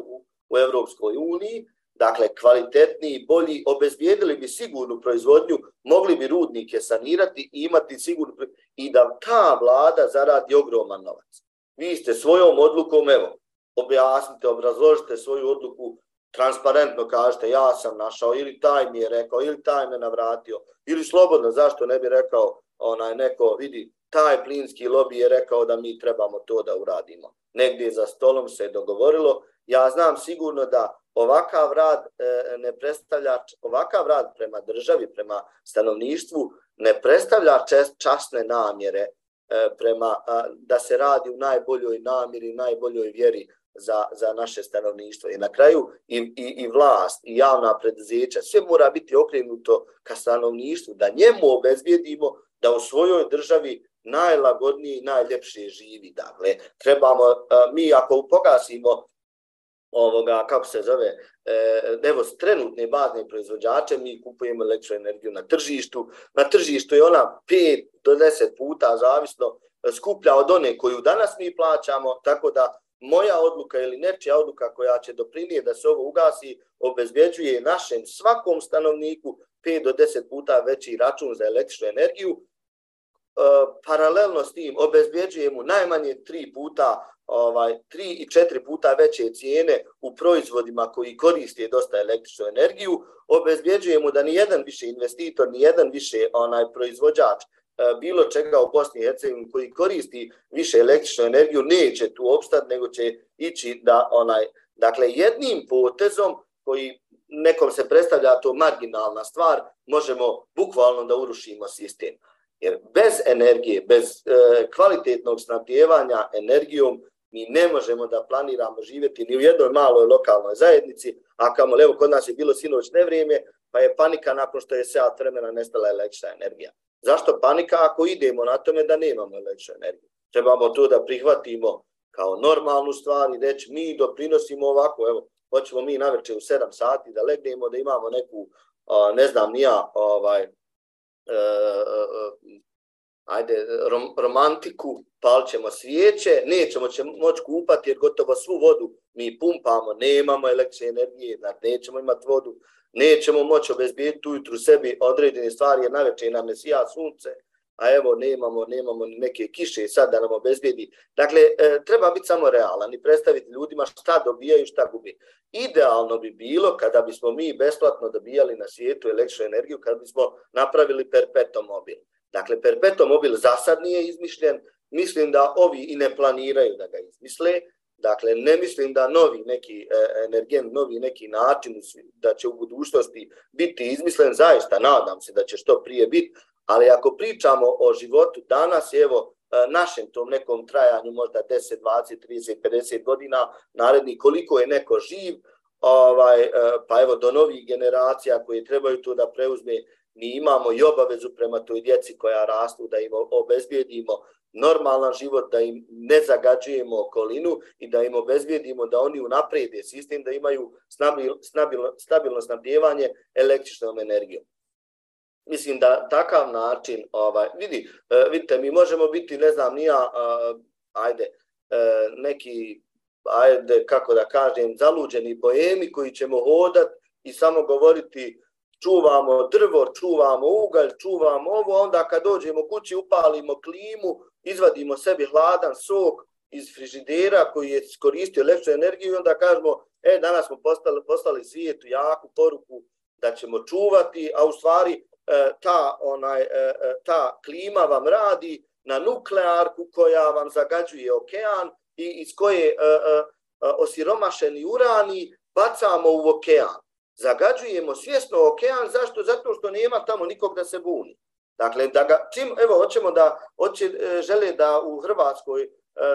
u Evropskoj uniji, dakle kvalitetniji, bolji, obezbijedili bi sigurnu proizvodnju, mogli bi rudnike sanirati i imati sigurnu i da ta vlada zaradi ogroman novac. Vi ste svojom odlukom, evo, objasnite, obrazložite svoju odluku, transparentno kažete ja sam našao, ili taj mi je rekao, ili taj me navratio, ili slobodno, zašto ne bi rekao neko, vidi, taj plinski lobby je rekao da mi trebamo to da uradimo. Negdje za stolom se je dogovorilo. Ja znam sigurno da ovakav rad prema državi, prema stanovništvu ne predstavlja časne namjere da se radi u najboljoj namjeri, najboljoj vjeri za naše stanovništvo. I na kraju i vlast i javna preduzeća, sve mora biti okrenuto ka stanovništvu, da njemu obezbijedimo da u svojoj državi najlagodnije i najljepše živi. Dakle, trebamo, mi ako pogasimo evo trenutne bazne proizvođače, mi kupujemo električnu energiju na tržištu. Na tržištu je ona 5 do 10 puta zavisno skuplja od one koju danas mi plaćamo, tako da moja odluka ili nečija odluka koja će doprinijeti da se ovo ugasi, obezbeđuje našem svakom stanovniku 5 do 10 puta veći račun za električnu energiju. Paralelno s tim obezbeđuje mu najmanje 3 i 4 puta veće cijene u proizvodima koji koriste dosta električnu energiju. Obezbeđuje mu da nijedan više investitor, nijedan više proizvođač bilo čega u Bosni i Hercegovini koji koristi više električnu energiju neće tu opstati, nego će ići da dakle jednim potezom koji nekom se predstavlja to marginalna stvar, možemo bukvalno da urušimo sistem. Jer bez energije, bez kvalitetnog snabdijevanja energijom mi ne možemo da planiramo živjeti ni u jednoj maloj lokalnoj zajednici, a kamoli, evo kod nas je bilo sinoć nevrijeme, pa je panika nakon što je sat vremena nestala električna energija. Zašto panika ako idemo na tome da nemamo električnu energiju? Trebamo to da prihvatimo kao normalnu stvar i reći mi doprinosimo ovako, evo, hoćemo mi navečer u 7 sati da legnemo, da imamo neku, ne znam ni ja, romantiku, palit ćemo svijeće, nećemo moći kupati jer gotovo svu vodu mi pumpamo, nemamo električne energije, nećemo imati vodu, nećemo moći obezbijediti ujutru sebi određene stvari jer navečer nam ne sija sunce, a evo nemamo neke kiše sad da nam obezbijedi. Dakle, treba biti samo realan i predstaviti ljudima šta dobijaju, šta gubi. Idealno bi bilo kada bismo mi besplatno dobijali na svijetu električnu energiju, kada bismo napravili perpetuum mobile. Dakle, perpetuum mobile za sad nije izmišljen, mislim da ovi i ne planiraju da ga izmisle. Dakle, ne mislim da novi neki energent, novi neki način da će u budućnosti biti izmislen, zaista nadam se da će što prije biti, ali ako pričamo o životu danas, evo, našem tom nekom trajanju, možda 10, 20, 30, 50 godina narednih, koliko je neko živ, pa evo do novih generacija koje trebaju to da preuzme, mi imamo i obavezu prema toj djeci koja rastu da im obezbijedimo normalan život, da im ne zagađujemo okolinu i da im obezbijedimo da oni unaprede sistem, da imaju stabilno snabdijevanje električnom energijom. Mislim da takav način, vidite, mi možemo biti, ne znam, neki, kako da kažem, zaluđeni boemi koji ćemo hodati i samo govoriti čuvamo drvo, čuvamo ugalj, čuvamo ovo, onda kad dođemo kući upalimo klimu, izvadimo sebi hladan sok iz frižidera koji je koristio električnu energiju i onda kažemo, danas smo poslali svijetu jaku poruku da ćemo čuvati, a u stvari ta klima vam radi na nuklearku koja vam zagađuje okean i iz koje osiromašeni urani bacamo u okean. Zagađujemo svjesno okean, zašto? Zato što nema tamo nikog da se buni. Dakle, žele da u Hrvatskoj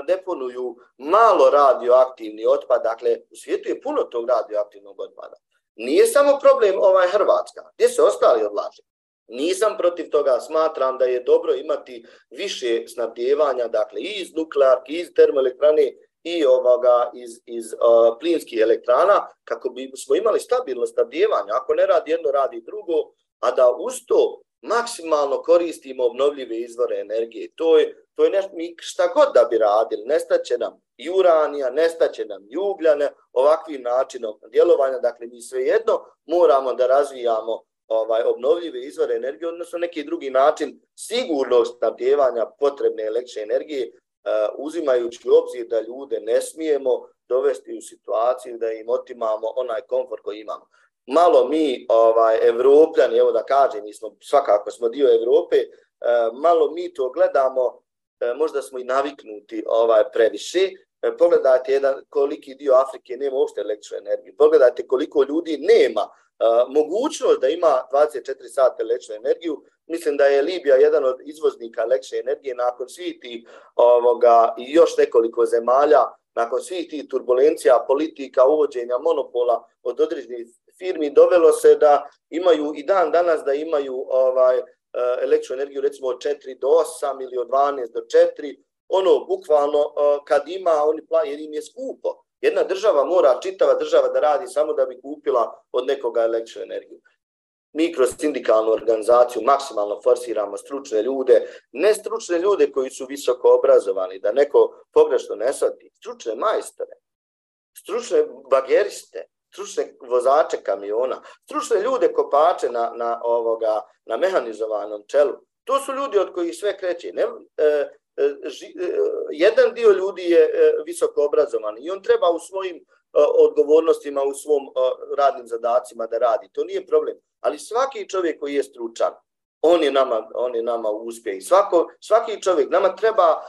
deponuju malo radioaktivni otpad, dakle, u svijetu je puno tog radioaktivnog otpada. Nije samo problem Hrvatska, gdje se ostali odlaže. Nisam protiv toga, smatram da je dobro imati više snabdijevanja, dakle, i iz nuklearki, iz termoelektrane, i iz plinskih elektrana, kako bismo imali stabilno snabdijevanje. Ako ne radi jedno, radi drugo, a da uz to maksimalno koristimo obnovljive izvore energije. To je nešto, mi šta god da bi radili, nestaće nam i uranija, nestaće nam i ugljane, ovakvim načinom djelovanja. Dakle, mi svejedno moramo da razvijamo obnovljive izvore energije, odnosno neki drugi način sigurnog snabdijevanja potrebne električne energije, uzimajući u obzir da ljude ne smijemo dovesti u situaciju da im otimamo onaj komfort koji imamo. Malo mi, Evropljani, evo da kažem, svakako smo dio Evrope, malo mi to gledamo, možda smo i naviknuti previše. Pogledajte koliki dio Afrike nema uopšte električnu energiju. Pogledajte koliko ljudi nema mogućnost da ima 24 sata električnu energiju. Mislim da je Libija jedan od izvoznika električne energije nakon svih tih i još nekoliko zemalja, nakon svih tih turbulencija, politika, uvođenja monopola od određenih firmi, dovelo se da imaju i dan danas da imaju električnu energiju recimo od 4 do 8 ili od 12 do 4, bukvalno kad ima, jer im je skupo. Jedna država mora, čitava država da radi samo da bi kupila od nekoga električnu energiju. Mi kroz sindikalnu organizaciju maksimalno forsiramo stručne ljude, ne stručne ljude koji su visoko obrazovani, da neko pogrešno ne shvati, stručne majstore, stručne bageriste, stručne vozače kamiona, stručne ljude kopače na mehanizovanom čelu. To su ljudi od kojih sve kreće. Jedan dio ljudi je visoko obrazovan i on treba u svojim odgovornostima, u svom radnim zadacima da radi. To nije problem. Ali svaki čovjek koji je stručan, on je nama uspjeh. Svaki čovjek, nama treba,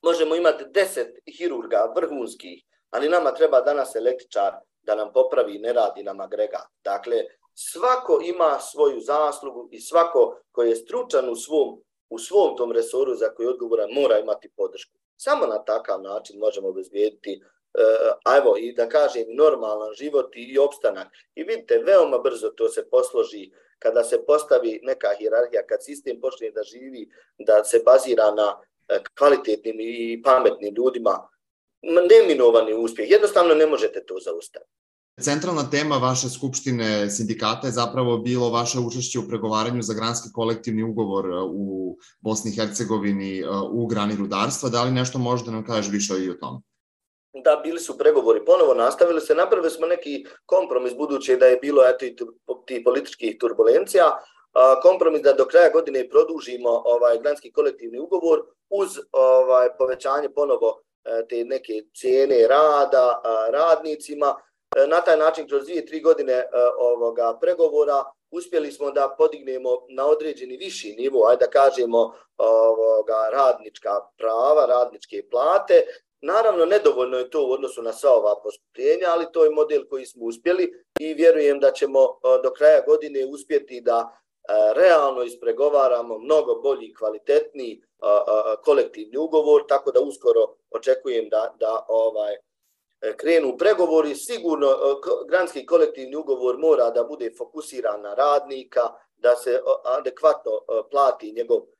možemo imati 10 hirurga vrhunskih, ali nama treba danas električar da nam popravi, ne radi nam agregat. Dakle, svako ima svoju zaslugu i svako koji je stručan u svom tom resoru za koji je odgovoran mora imati podršku. Samo na takav način možemo obezbijediti i da kažem normalan život i opstanak. I vidite, veoma brzo to se posloži kada se postavi neka hijerarhija, kad sistem počne da živi, da se bazira na kvalitetnim i pametnim ljudima, neminovani uspjeh. Jednostavno ne možete to zaustaviti. Centralna tema vaše skupštine sindikata je zapravo bilo vaše učešće u pregovaranju za granski kolektivni ugovor u Bosni i Hercegovini u grani rudarstva. Da li nešto možda nam kažeš više i o tome? Da, bili su pregovori, ponovo nastavili se, napravili smo neki kompromis budući da je bilo ti političkih turbulencija, kompromis da do kraja godine produžimo granski kolektivni ugovor uz povećanje ponovo te neke cijene rada radnicima. Na taj način kroz 2-3 godine pregovora uspjeli smo da podignemo na određeni viši nivo, da kažemo radnička prava, radničke plate. Naravno, nedovoljno je to u odnosu na sva ova poskupljenja, ali to je model koji smo uspjeli i vjerujem da ćemo do kraja godine uspjeti da realno ispregovaramo mnogo bolji i kvalitetniji kolektivni ugovor, tako da uskoro očekujem da krenu pregovori. Sigurno granski kolektivni ugovor mora da bude fokusiran na radnika, da se adekvatno plati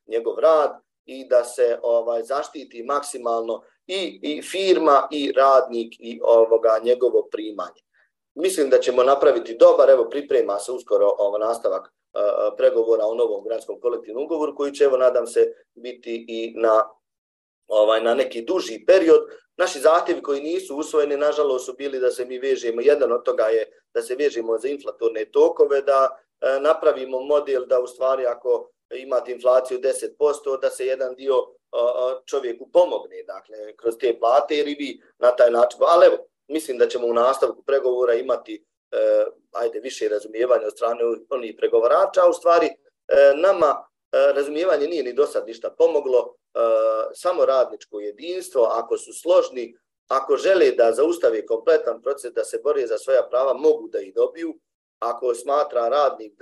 njegov rad, i da se zaštiti maksimalno i firma i radnik i njegovo primanje. Mislim da ćemo napraviti dobar, evo priprema se uskoro nastavak pregovora o novom gradskom kolektivnom ugovoru koji će, evo nadam se, biti i na neki duži period. Naši zahtjevi koji nisu usvojeni, nažalost, su bili da se mi vežemo, jedan od toga je da se vežemo za inflatorne tokove, da napravimo model da u stvari ako imate inflaciju 10%, da se jedan dio čovjeku pomogne, dakle, kroz te plate, jer i vi na taj način, ali evo, mislim da ćemo u nastavku pregovora imati više razumijevanja od strane onih pregovarača, a u stvari nama razumijevanje nije ni do sad ništa pomoglo, samo radničko jedinstvo, ako su složni, ako žele da zaustave kompletan proces, da se bore za svoja prava, mogu da ih dobiju. Ako smatra radnik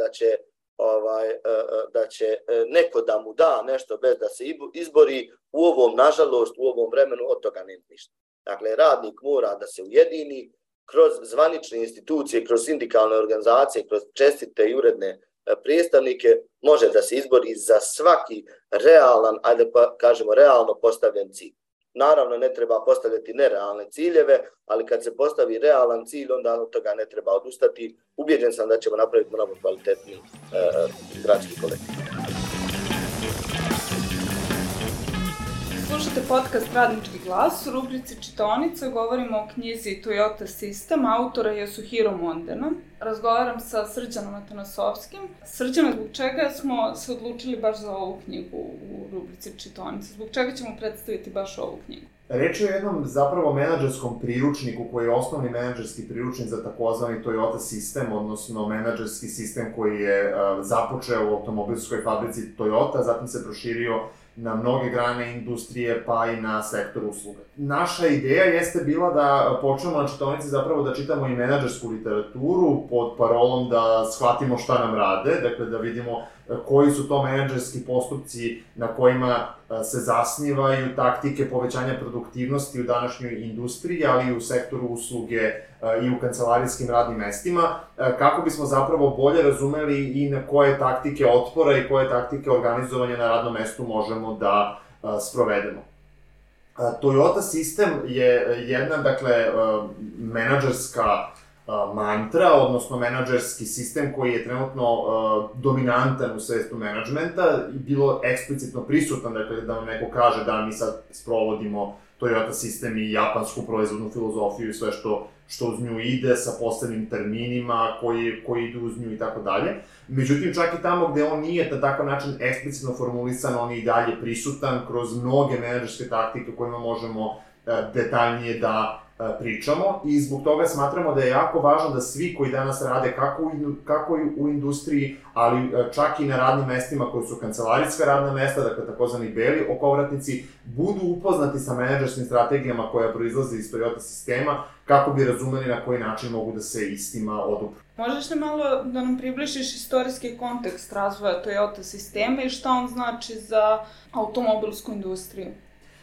da će neko da mu da nešto bez da se izbori, u ovom, nažalost, u ovom vremenu od toga nema ništa. Dakle, radnik mora da se ujedini kroz zvanične institucije, kroz sindikalne organizacije, kroz čestite i uredne predstavnike, može da se izbori za svaki realan, ajde pa kažemo realno postavljen cilj. Naravno, ne treba postavljati nerealne ciljeve, ali kad se postavi realan cilj, onda od toga ne treba odustati. Ubijeđen sam da ćemo napraviti mnogo kvalitetni gradski kolektiv. Slušate podcast Radnički glas. U rubrici Čitaonica govorimo o knjizi Toyota System, autora Yasuhiro Mondena. Razgovaram sa Srđanom Atanasovskim. Srđana, zbog čega smo se odlučili baš za ovu knjigu u rubrici Čitaonica? Zbog čega ćemo predstaviti baš ovu knjigu? Reč je o jednom zapravo menadžerskom priručniku koji je osnovni menadžerski priručnik za takozvani Toyota System, odnosno menadžerski sistem koji je započeo u automobilskoj fabrici Toyota, zatim se proširio na mnoge grane industrije, pa i na sektor usluga. Naša ideja jeste bila da počnemo na čitaonici zapravo da čitamo i menadžersku literaturu pod parolom da shvatimo šta nam rade, dakle da vidimo koji su to menadžerski postupci na kojima se zasnivaju taktike povećanja produktivnosti u današnjoj industriji, ali i u sektoru usluge i u kancelarijskim radnim mestima, kako bismo zapravo bolje razumeli i na koje taktike otpora i koje taktike organizovanja na radnom mestu možemo da sprovedemo. Toyota System je jedna, dakle, menadžerska mantra, odnosno menadžerski sistem koji je trenutno dominantan u svetu menadžmenta i bilo eksplicitno prisutan, dakle, da vam neko kaže da mi sad sprovodimo Toyota System i japansku proizvodnu filozofiju i sve što uz nju ide sa posebnim terminima koji idu uz nju i tako dalje. Međutim, čak i tamo gde on nije na takav način eksplicitno formulisan, on je i dalje prisutan kroz mnoge menadžerske taktike o kojima možemo detaljnije da pričamo i zbog toga smatramo da je jako važno da svi koji danas rade kako u industriji, ali čak i na radnim mestima koji su kancelarijska radna mesta, dakle takozvani beli okovratnici, budu upoznati sa menadžerskim strategijama koja proizlaze iz Toyota sistema kako bi razumeli na koji način mogu da se istima odupru. Možeš li malo da nam približiš istorijski kontekst razvoja Toyota sistema i šta on znači za automobilsku industriju?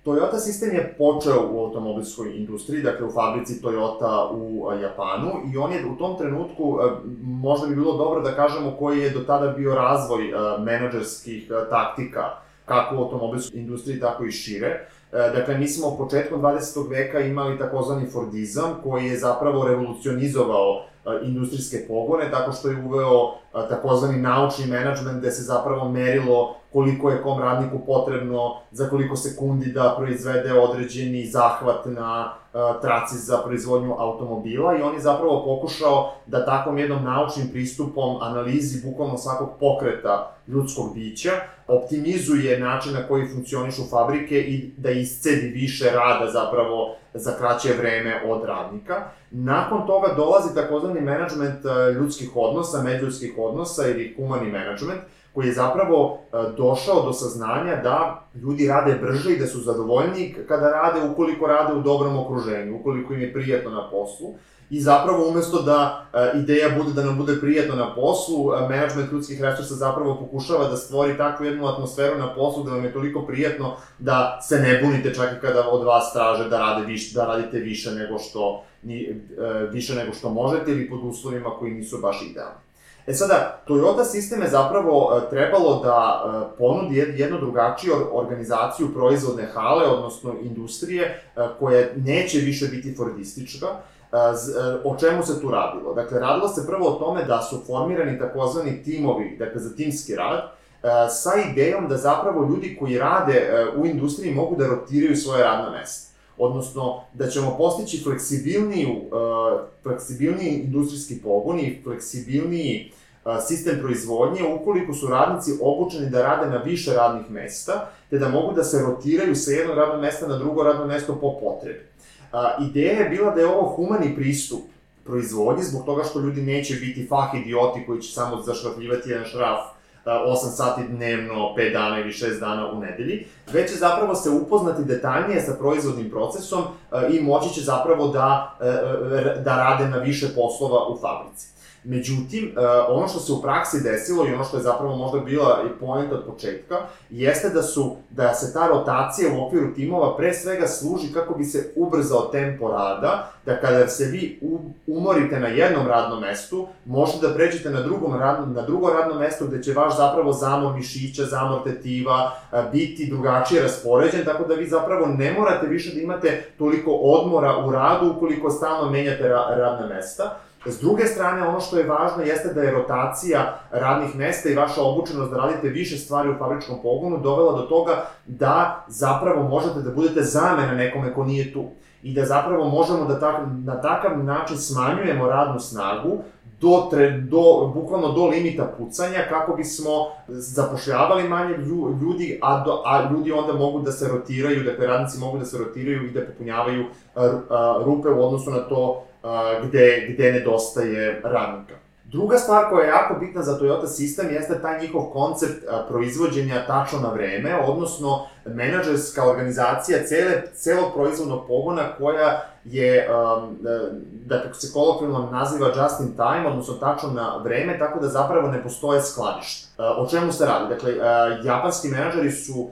Toyota sistem je počeo u automobilskoj industriji, dakle u fabrici Toyota u Japanu i on je u tom trenutku, možda bi bilo dobro da kažemo koji je do tada bio razvoj menadžerskih taktika, kako u automobilskoj industriji, tako i šire. Dakle, mi smo početkom 20. veka imali takozvani Fordizam koji je zapravo revolucionizovao industrijske pogone tako što je uveo takozvani naučni menadžment gde se zapravo merilo koliko je kom radniku potrebno za koliko sekundi da proizvede određeni zahvat na traci za proizvodnju automobila i on je zapravo pokušao da takvom jednom naučnim pristupom analizi bukvalno svakog pokreta ljudskog bića optimizuje način na koji funkcionišu fabrike i da iscedi više rada zapravo za kraće vreme od radnika. Nakon toga dolazi takozvani menadžment ljudskih odnosa, međuljudskih odnosa ili humani menadžment, koji je zapravo došao do saznanja da ljudi rade brže i da su zadovoljniji kada rade ukoliko rade u dobrom okruženju, ukoliko im je prijatno na poslu. I zapravo umesto da ideja bude da nam bude prijatno na poslu, menadžment ljudskih resursa zapravo pokušava da stvori takvu jednu atmosferu na poslu da vam je toliko prijatno da se ne bunite čak i kada od vas traže da radite više nego što možete ili pod uslovima koji nisu baš idealni. Sada, Toyota sistem je zapravo trebalo da ponudi jednu drugačiju organizaciju proizvodne hale, odnosno industrije, koja neće više biti fordistička. O čemu se tu radilo? Dakle, radilo se prvo o tome da su formirani takozvani timovi, dakle za timski rad, sa idejom da zapravo ljudi koji rade u industriji mogu da rotiraju svoje radna mesta. Odnosno, da ćemo postići fleksibilniji industrijski pogon i fleksibilniji sistem proizvodnje ukoliko su radnici obučeni da rade na više radnih mesta, te da mogu da se rotiraju sa jednog radnog mesta na drugo radno mesto po potrebi. Ideja je bila da je ovo humani pristup proizvodnji, zbog toga što ljudi neće biti fah idioti koji će samo zašrafljivati jedan šraf 8 sati dnevno, 5 dana ili 6 dana u nedelji, već će zapravo se upoznati detaljnije sa proizvodnim procesom i moći će zapravo da rade na više poslova u fabrici. Međutim, ono što se u praksi desilo i ono što je zapravo možda bila i poenta od početka, jeste da se ta rotacija u okviru timova pre svega služi kako bi se ubrzao tempo rada, da kada se vi umorite na jednom radnom mestu, možete da pređete na drugo radno mesto gde će vaš zapravo zamor mišića, zamor tetiva biti drugačije raspoređen, tako da vi zapravo ne morate više da imate toliko odmora u radu ukoliko stalno menjate radna mesta. S druge strane, ono što je važno jeste da je rotacija radnih mesta i vaša obučenost da radite više stvari u fabričkom pogonu dovela do toga da zapravo možete da budete zamena nekome ko nije tu. I da zapravo možemo da na takav način smanjujemo radnu snagu bukvalno do limita pucanja kako bismo zapošljavali manje ljudi, a ljudi onda mogu da se rotiraju, dakle radnici mogu da se rotiraju i da popunjavaju rupe u odnosu na to gde nedostaje radnika. Druga stvar koja je jako bitna za Toyota sistem jeste taj njihov koncept proizvođenja tačno na vreme, odnosno menadžerska organizacija celog proizvodnog pogona koja je, da kako se kolokvijalno naziva just in time, odnosno tačno na vreme, tako da zapravo ne postoje skladišta. O čemu se radi? Dakle, japanski menadžeri su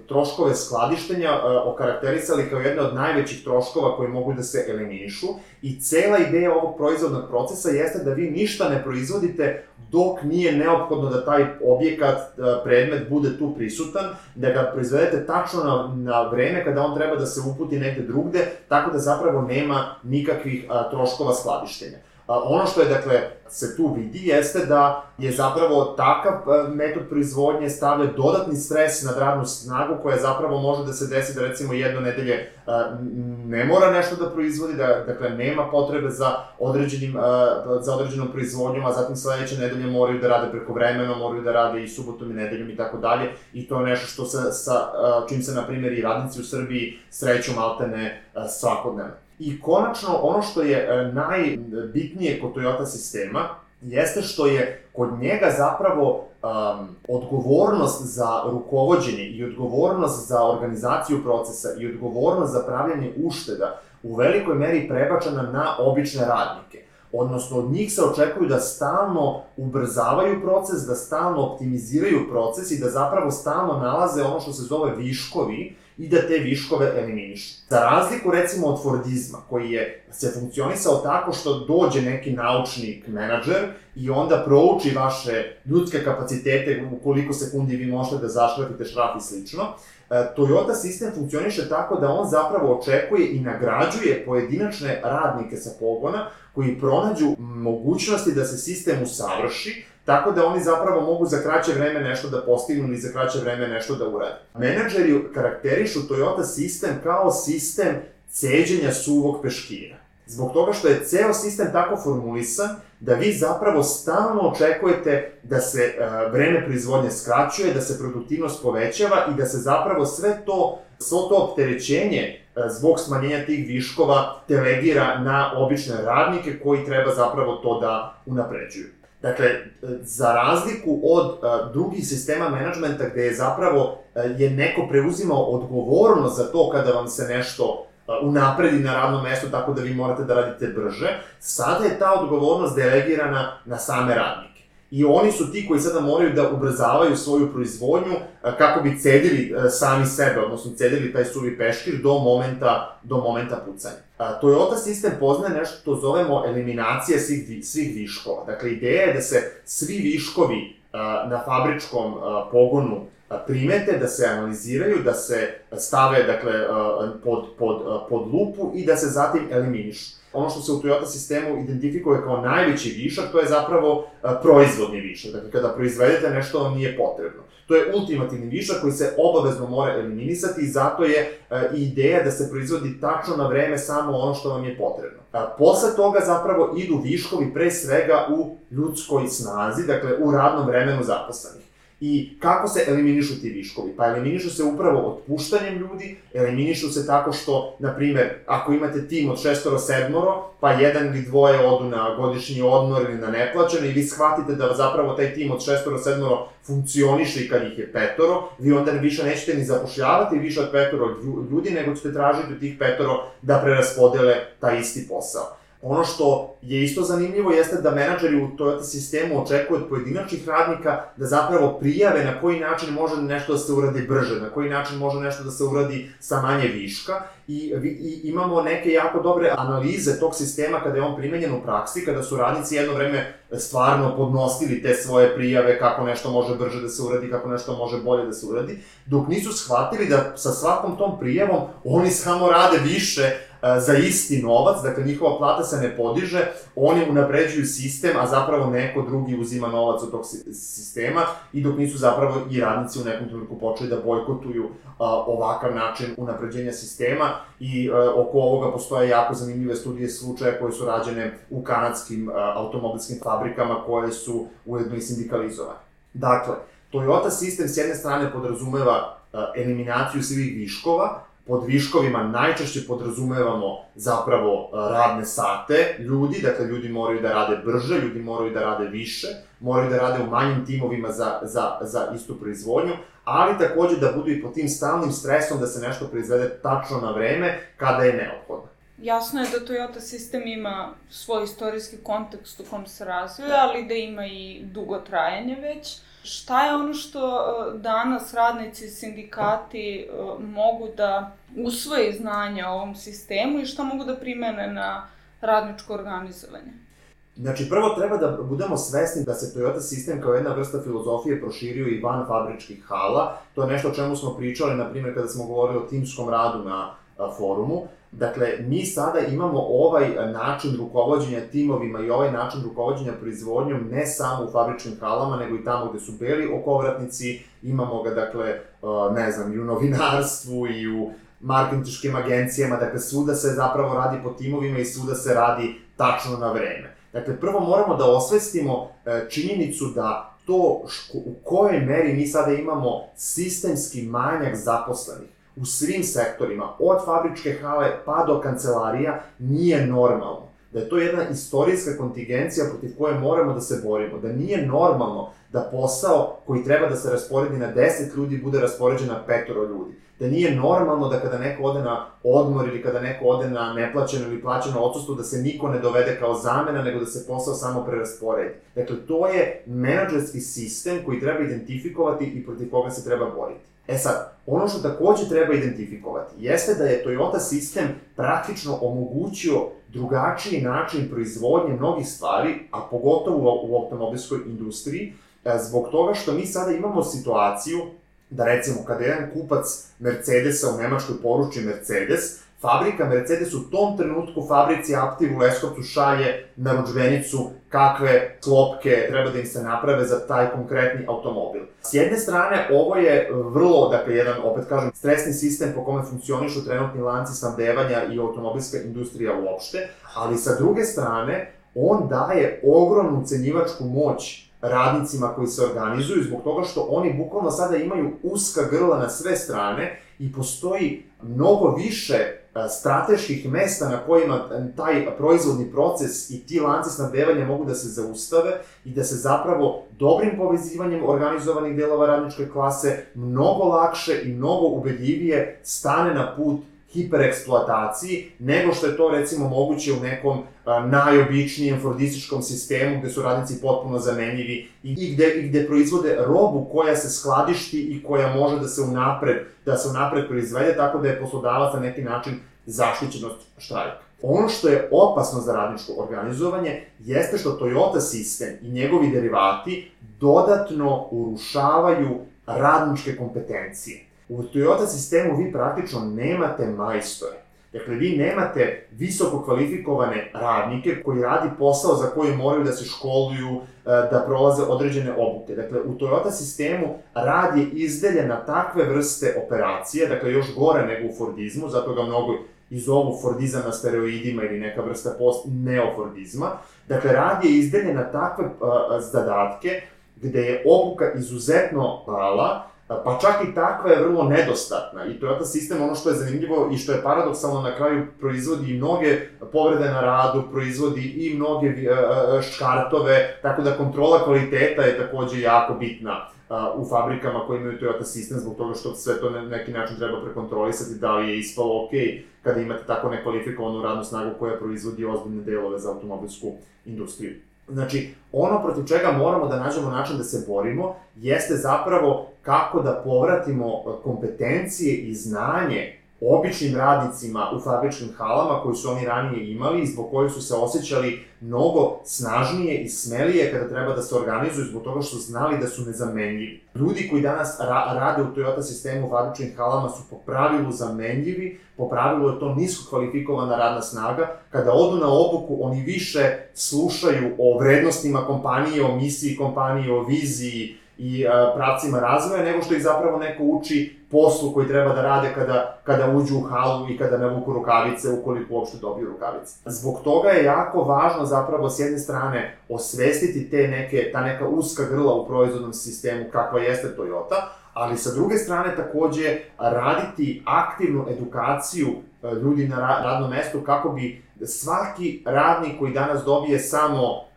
troškove skladištenja okarakterisali kao jedne od najvećih troškova koji mogu da se eliminišu i cela ideja ovog proizvodnog procesa jeste da vi ništa ne proizvodite dok nije neophodno da taj objekat, predmet bude tu prisutan, da ga proizvedete tačno na vreme kada on treba da se uputi negde drugde, tako da zapravo nema nikakvih troškova skladištenja. Ono što je, dakle, se tu vidi jeste da je zapravo takav metod proizvodnje stavlja dodatni stres na radnu snagu koja zapravo može da se desi da recimo jedno nedelje ne mora nešto da proizvodi, dakle nema potrebe za određenom proizvodnjom, a zatim sledeće nedelje moraju da rade prekovremeno, moraju da rade i subotom i nedeljom i tako dalje i to je nešto što čim se, na primjer, i radnici u Srbiji sreću maltene svakodnevno. I konačno, ono što je najbitnije kod Toyota sistema, jeste što je kod njega zapravo odgovornost za rukovođenje i odgovornost za organizaciju procesa i odgovornost za pravljanje ušteda u velikoj meri prebačena na obične radnike. Odnosno, od njih se očekuju da stalno ubrzavaju proces, da stalno optimiziraju proces i da zapravo stalno nalaze ono što se zove viškovi i da te viškove eliminišu. Za razliku, recimo, od Fordizma, koji se funkcionisao tako što dođe neki naučnik, menadžer, i onda prouči vaše ljudske kapacitete, u koliko sekundi vi možete da zašrafite šraf i slično, Toyota sistem funkcioniše tako da on zapravo očekuje i nagrađuje pojedinačne radnike sa pogona koji pronađu mogućnosti da se sistem usavrši, tako da oni zapravo mogu za kraće vreme nešto da postignu ili za kraće vreme nešto da urade. Menadžeri karakterišu Toyota sistem kao sistem ceđenja suvog peškira. Zbog toga što je ceo sistem tako formulisan da vi zapravo stalno očekujete da se vreme proizvodnje skraćuje, da se produktivnost povećava i da se zapravo sve to opterećenje zbog smanjenja tih viškova delegira na obične radnike koji treba zapravo to da unapređuju. Dakle, za razliku od drugih sistema menadžmenta gde je zapravo neko preuzimao odgovornost za to kada vam se nešto unapredi na radnom mestu tako da vi morate da radite brže, sada je ta odgovornost delegirana na same radnike. I oni su ti koji sada moraju da ubrzavaju svoju proizvodnju kako bi cedili sami sebe, odnosno cedili taj suvi peškir do momenta pucanja. Toyota sistem poznaje nešto što zovemo eliminacija svih viškova. Dakle, ideja je da se svi viškovi na fabričkom pogonu primete, da se analiziraju, da se stave dakle, pod lupu i da se zatim eliminišu. Ono što se u Toyota sistemu identifikuje kao najveći višak, to je zapravo proizvodni višak. Dakle, kada proizvedete nešto vam nije potrebno. To je ultimativni višak koji se obavezno mora eliminisati i zato je ideja da se proizvodi tačno na vreme samo ono što vam je potrebno. Posle toga zapravo idu viškovi pre svega u ljudskoj snazi, dakle u radnom vremenu zaposlenih. I kako se eliminišu ti viškovi? Pa eliminišu se upravo otpuštanjem ljudi, eliminišu se tako što, na primer, ako imate tim od 6-7, pa jedan ili dvoje odu na godišnji odmor ili na neplaćeno i vi shvatite da zapravo taj tim od 6-7 funkcioniše i kad ih je 5, vi onda više nećete ni zapošljavati više od 5 ljudi, nego ćete tražiti od tih 5 da preraspodele taj isti posao. Ono što je isto zanimljivo jeste da menadžeri u Toyota sistemu očekuju od pojedinačnih radnika da zapravo prijave na koji način može nešto da se uradi brže, na koji način može nešto da se uradi sa manje viška i imamo neke jako dobre analize tog sistema kada je on primenjen u praksi, kada su radnici jedno vreme stvarno podnosili te svoje prijave kako nešto može brže da se uradi, kako nešto može bolje da se uradi, dok nisu shvatili da sa svakom tom prijavom oni samo rade više za isti novac, dakle njihova plata se ne podiže, oni unapređuju sistem, a zapravo neko drugi uzima novac od tog sistema i dok nisu zapravo i radnici u nekom trenutku počeli da bojkotuju ovakav način unapređenja sistema i oko ovoga postoje jako zanimljive studije slučaja koje su rađene u kanadskim automobilskim fabrikama koje su ujedno i sindikalizovane. Dakle, Toyota sistem s jedne strane podrazumeva eliminaciju svih viškova. Pod viškovima najčešće podrazumevamo zapravo radne sate ljudi, dakle ljudi moraju da rade brže, ljudi moraju da rade više, moraju da rade u manjim timovima za istu proizvodnju, ali takođe da budu i pod tim stalnim stresom da se nešto proizvede tačno na vreme kada je neophodno. Jasno je da Toyota sistem ima svoj istorijski kontekst u kom se razvija, ali da ima i dugo trajanje već. Šta je ono što danas radnici i sindikati mogu da usvoje znanja o ovom sistemu i šta mogu da primene na radničko organizovanje? Znači, prvo treba da budemo svesni da se Toyota sistem kao jedna vrsta filozofije proširio i van fabričkih hala. To je nešto o čemu smo pričali, na primjer, kada smo govorili o timskom radu na forumu. Dakle, mi sada imamo ovaj način rukovođenja timovima i ovaj način rukovođenja proizvodnjom ne samo u fabričnim halama, nego i tamo gde su beli okovratnici, imamo ga, dakle, ne znam, i u novinarstvu i u marketinškim agencijama, dakle, svuda se zapravo radi po timovima i svuda se radi tačno na vreme. Dakle, prvo moramo da osvestimo činjenicu da to u kojoj meri mi sada imamo sistemski manjak zaposlenih u svim sektorima, od fabričke hale pa do kancelarija, nije normalno. Da je to jedna istorijska kontingencija protiv koje moramo da se borimo. Da nije normalno da posao koji treba da se rasporedi na 10 ljudi bude raspoređen na 5 ljudi. Da nije normalno da kada neko ode na odmor ili kada neko ode na neplaćeno ili plaćeno odsustvo da se niko ne dovede kao zamena, nego da se posao samo prerasporedi. Dakle, to je menadžerski sistem koji treba identifikovati i protiv koga se treba boriti. E sad, ono što takođe treba identifikovati jeste da je Toyota sistem praktično omogućio drugačiji način proizvodnje mnogih stvari, a pogotovo u automobilskoj industriji, zbog toga što mi sada imamo situaciju da recimo kada jedan kupac Mercedesa u Nemačkoj poruči Mercedes, fabrika Mercedes u tom trenutku fabrici Aptiv u Leskovcu šalje narudžbenicu kakve klopke treba da im se naprave za taj konkretni automobil. S jedne strane, ovo je vrlo, dakle, jedan, opet kažem, stresni sistem po kome funkcionišu trenutni lanci snabdevanja i automobilska industrija uopšte, ali sa druge strane, on daje ogromnu ucenjivačku moć radnicima koji se organizuju zbog toga što oni bukvalno sada imaju uska grla na sve strane i postoji mnogo više strateških mesta na kojima taj proizvodni proces i ti lanci snabdevanja mogu da se zaustave i da se zapravo dobrim povezivanjem organizovanih delova radničke klase mnogo lakše i mnogo ubedljivije stane na put hipereksploataciji, nego što je to recimo moguće u nekom najobičnijem fordističkom sistemu gde su radnici potpuno zamenljivi i gde proizvode robu koja se skladišti i koja može da se unapred proizvede, tako da je poslodavac na neki način zaštićenost štrajka. Ono što je opasno za radničko organizovanje jeste što Toyota sistem i njegovi derivati dodatno urušavaju radničke kompetencije. U Toyota sistemu vi praktično nemate majstore. Dakle, vi nemate visoko kvalifikovane radnike koji radi posao za koji moraju da se školuju, da prolaze određene obuke. Dakle, u Toyota sistemu rad je izdeljen na takve vrste operacije, dakle, još gore nego u Fordizmu, zato ga mnogo i zovu Fordizam na steroidima ili neka vrsta neofordizma. Dakle, rad je izdeljen na takve zadatke gde je obuka izuzetno mala, pa čak i takva je vrlo nedostatna. I Toyota sistem, ono što je zanimljivo i što je paradoksalno, na kraju proizvodi i mnoge povrede na radu, proizvodi i mnoge škartove, tako da kontrola kvaliteta je takođe jako bitna u fabrikama koje imaju Toyota sistem, zbog toga što sve to na neki način treba prekontrolisati, da li je ispalo ok kada imate tako nekvalifikovanu radnu snagu koja proizvodi ozbiljne delove za automobilsku industriju. Znači, ono protiv čega moramo da nađemo način da se borimo jeste zapravo kako da povratimo kompetencije i znanje običnim radnicima u fabričkim halama koji su oni ranije imali i zbog kojih su se osjećali mnogo snažnije i smelije kada treba da se organizuju zbog toga što su znali da su nezamenljivi. Ljudi koji danas rade u Toyota sistemu u fabričkim halama su po pravilu zamenljivi, po pravilu je to nisko kvalifikovana radna snaga. Kada odu na obuku, oni više slušaju o vrednostima kompanije, o misiji kompanije, o viziji i pravcima razvoja, nego što ih zapravo neko uči poslu koji treba da rade kada uđu u halu i kada navuku rukavice, ukoliko uopšte dobiju rukavice. Zbog toga je jako važno zapravo s jedne strane osvestiti ta neka uska grla u proizvodnom sistemu kakva jeste Toyota, ali sa druge strane takođe raditi aktivnu edukaciju ljudi na radnom mestu kako bi svaki radnik koji danas dobije samo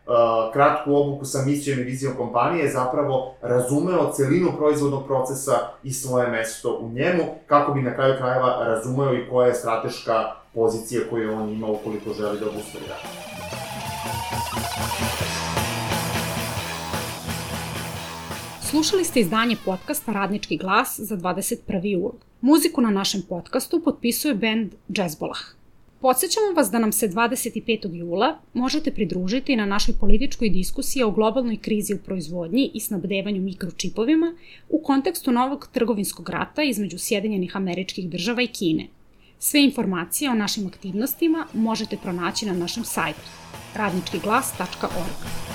kratku obuku sa misijom i vizijom kompanije zapravo razumeo celinu proizvodnog procesa i svoje mesto u njemu, kako bi na kraju krajeva razumeo i koja je strateška pozicija koju on ima ukoliko želi da obustavi rad. Slušali ste izdanje podcasta Radnički glas za 21. jul. Muziku na našem podcastu potpisuje bend Jazzbolah. Podsjećamo vas da nam se 25. jula možete pridružiti na našoj političkoj diskusiji o globalnoj krizi u proizvodnji i snabdevanju mikročipovima u kontekstu novog trgovinskog rata između Sjedinjenih Američkih Država i Kine. Sve informacije o našim aktivnostima možete pronaći na našem sajtu radničkiglas.org.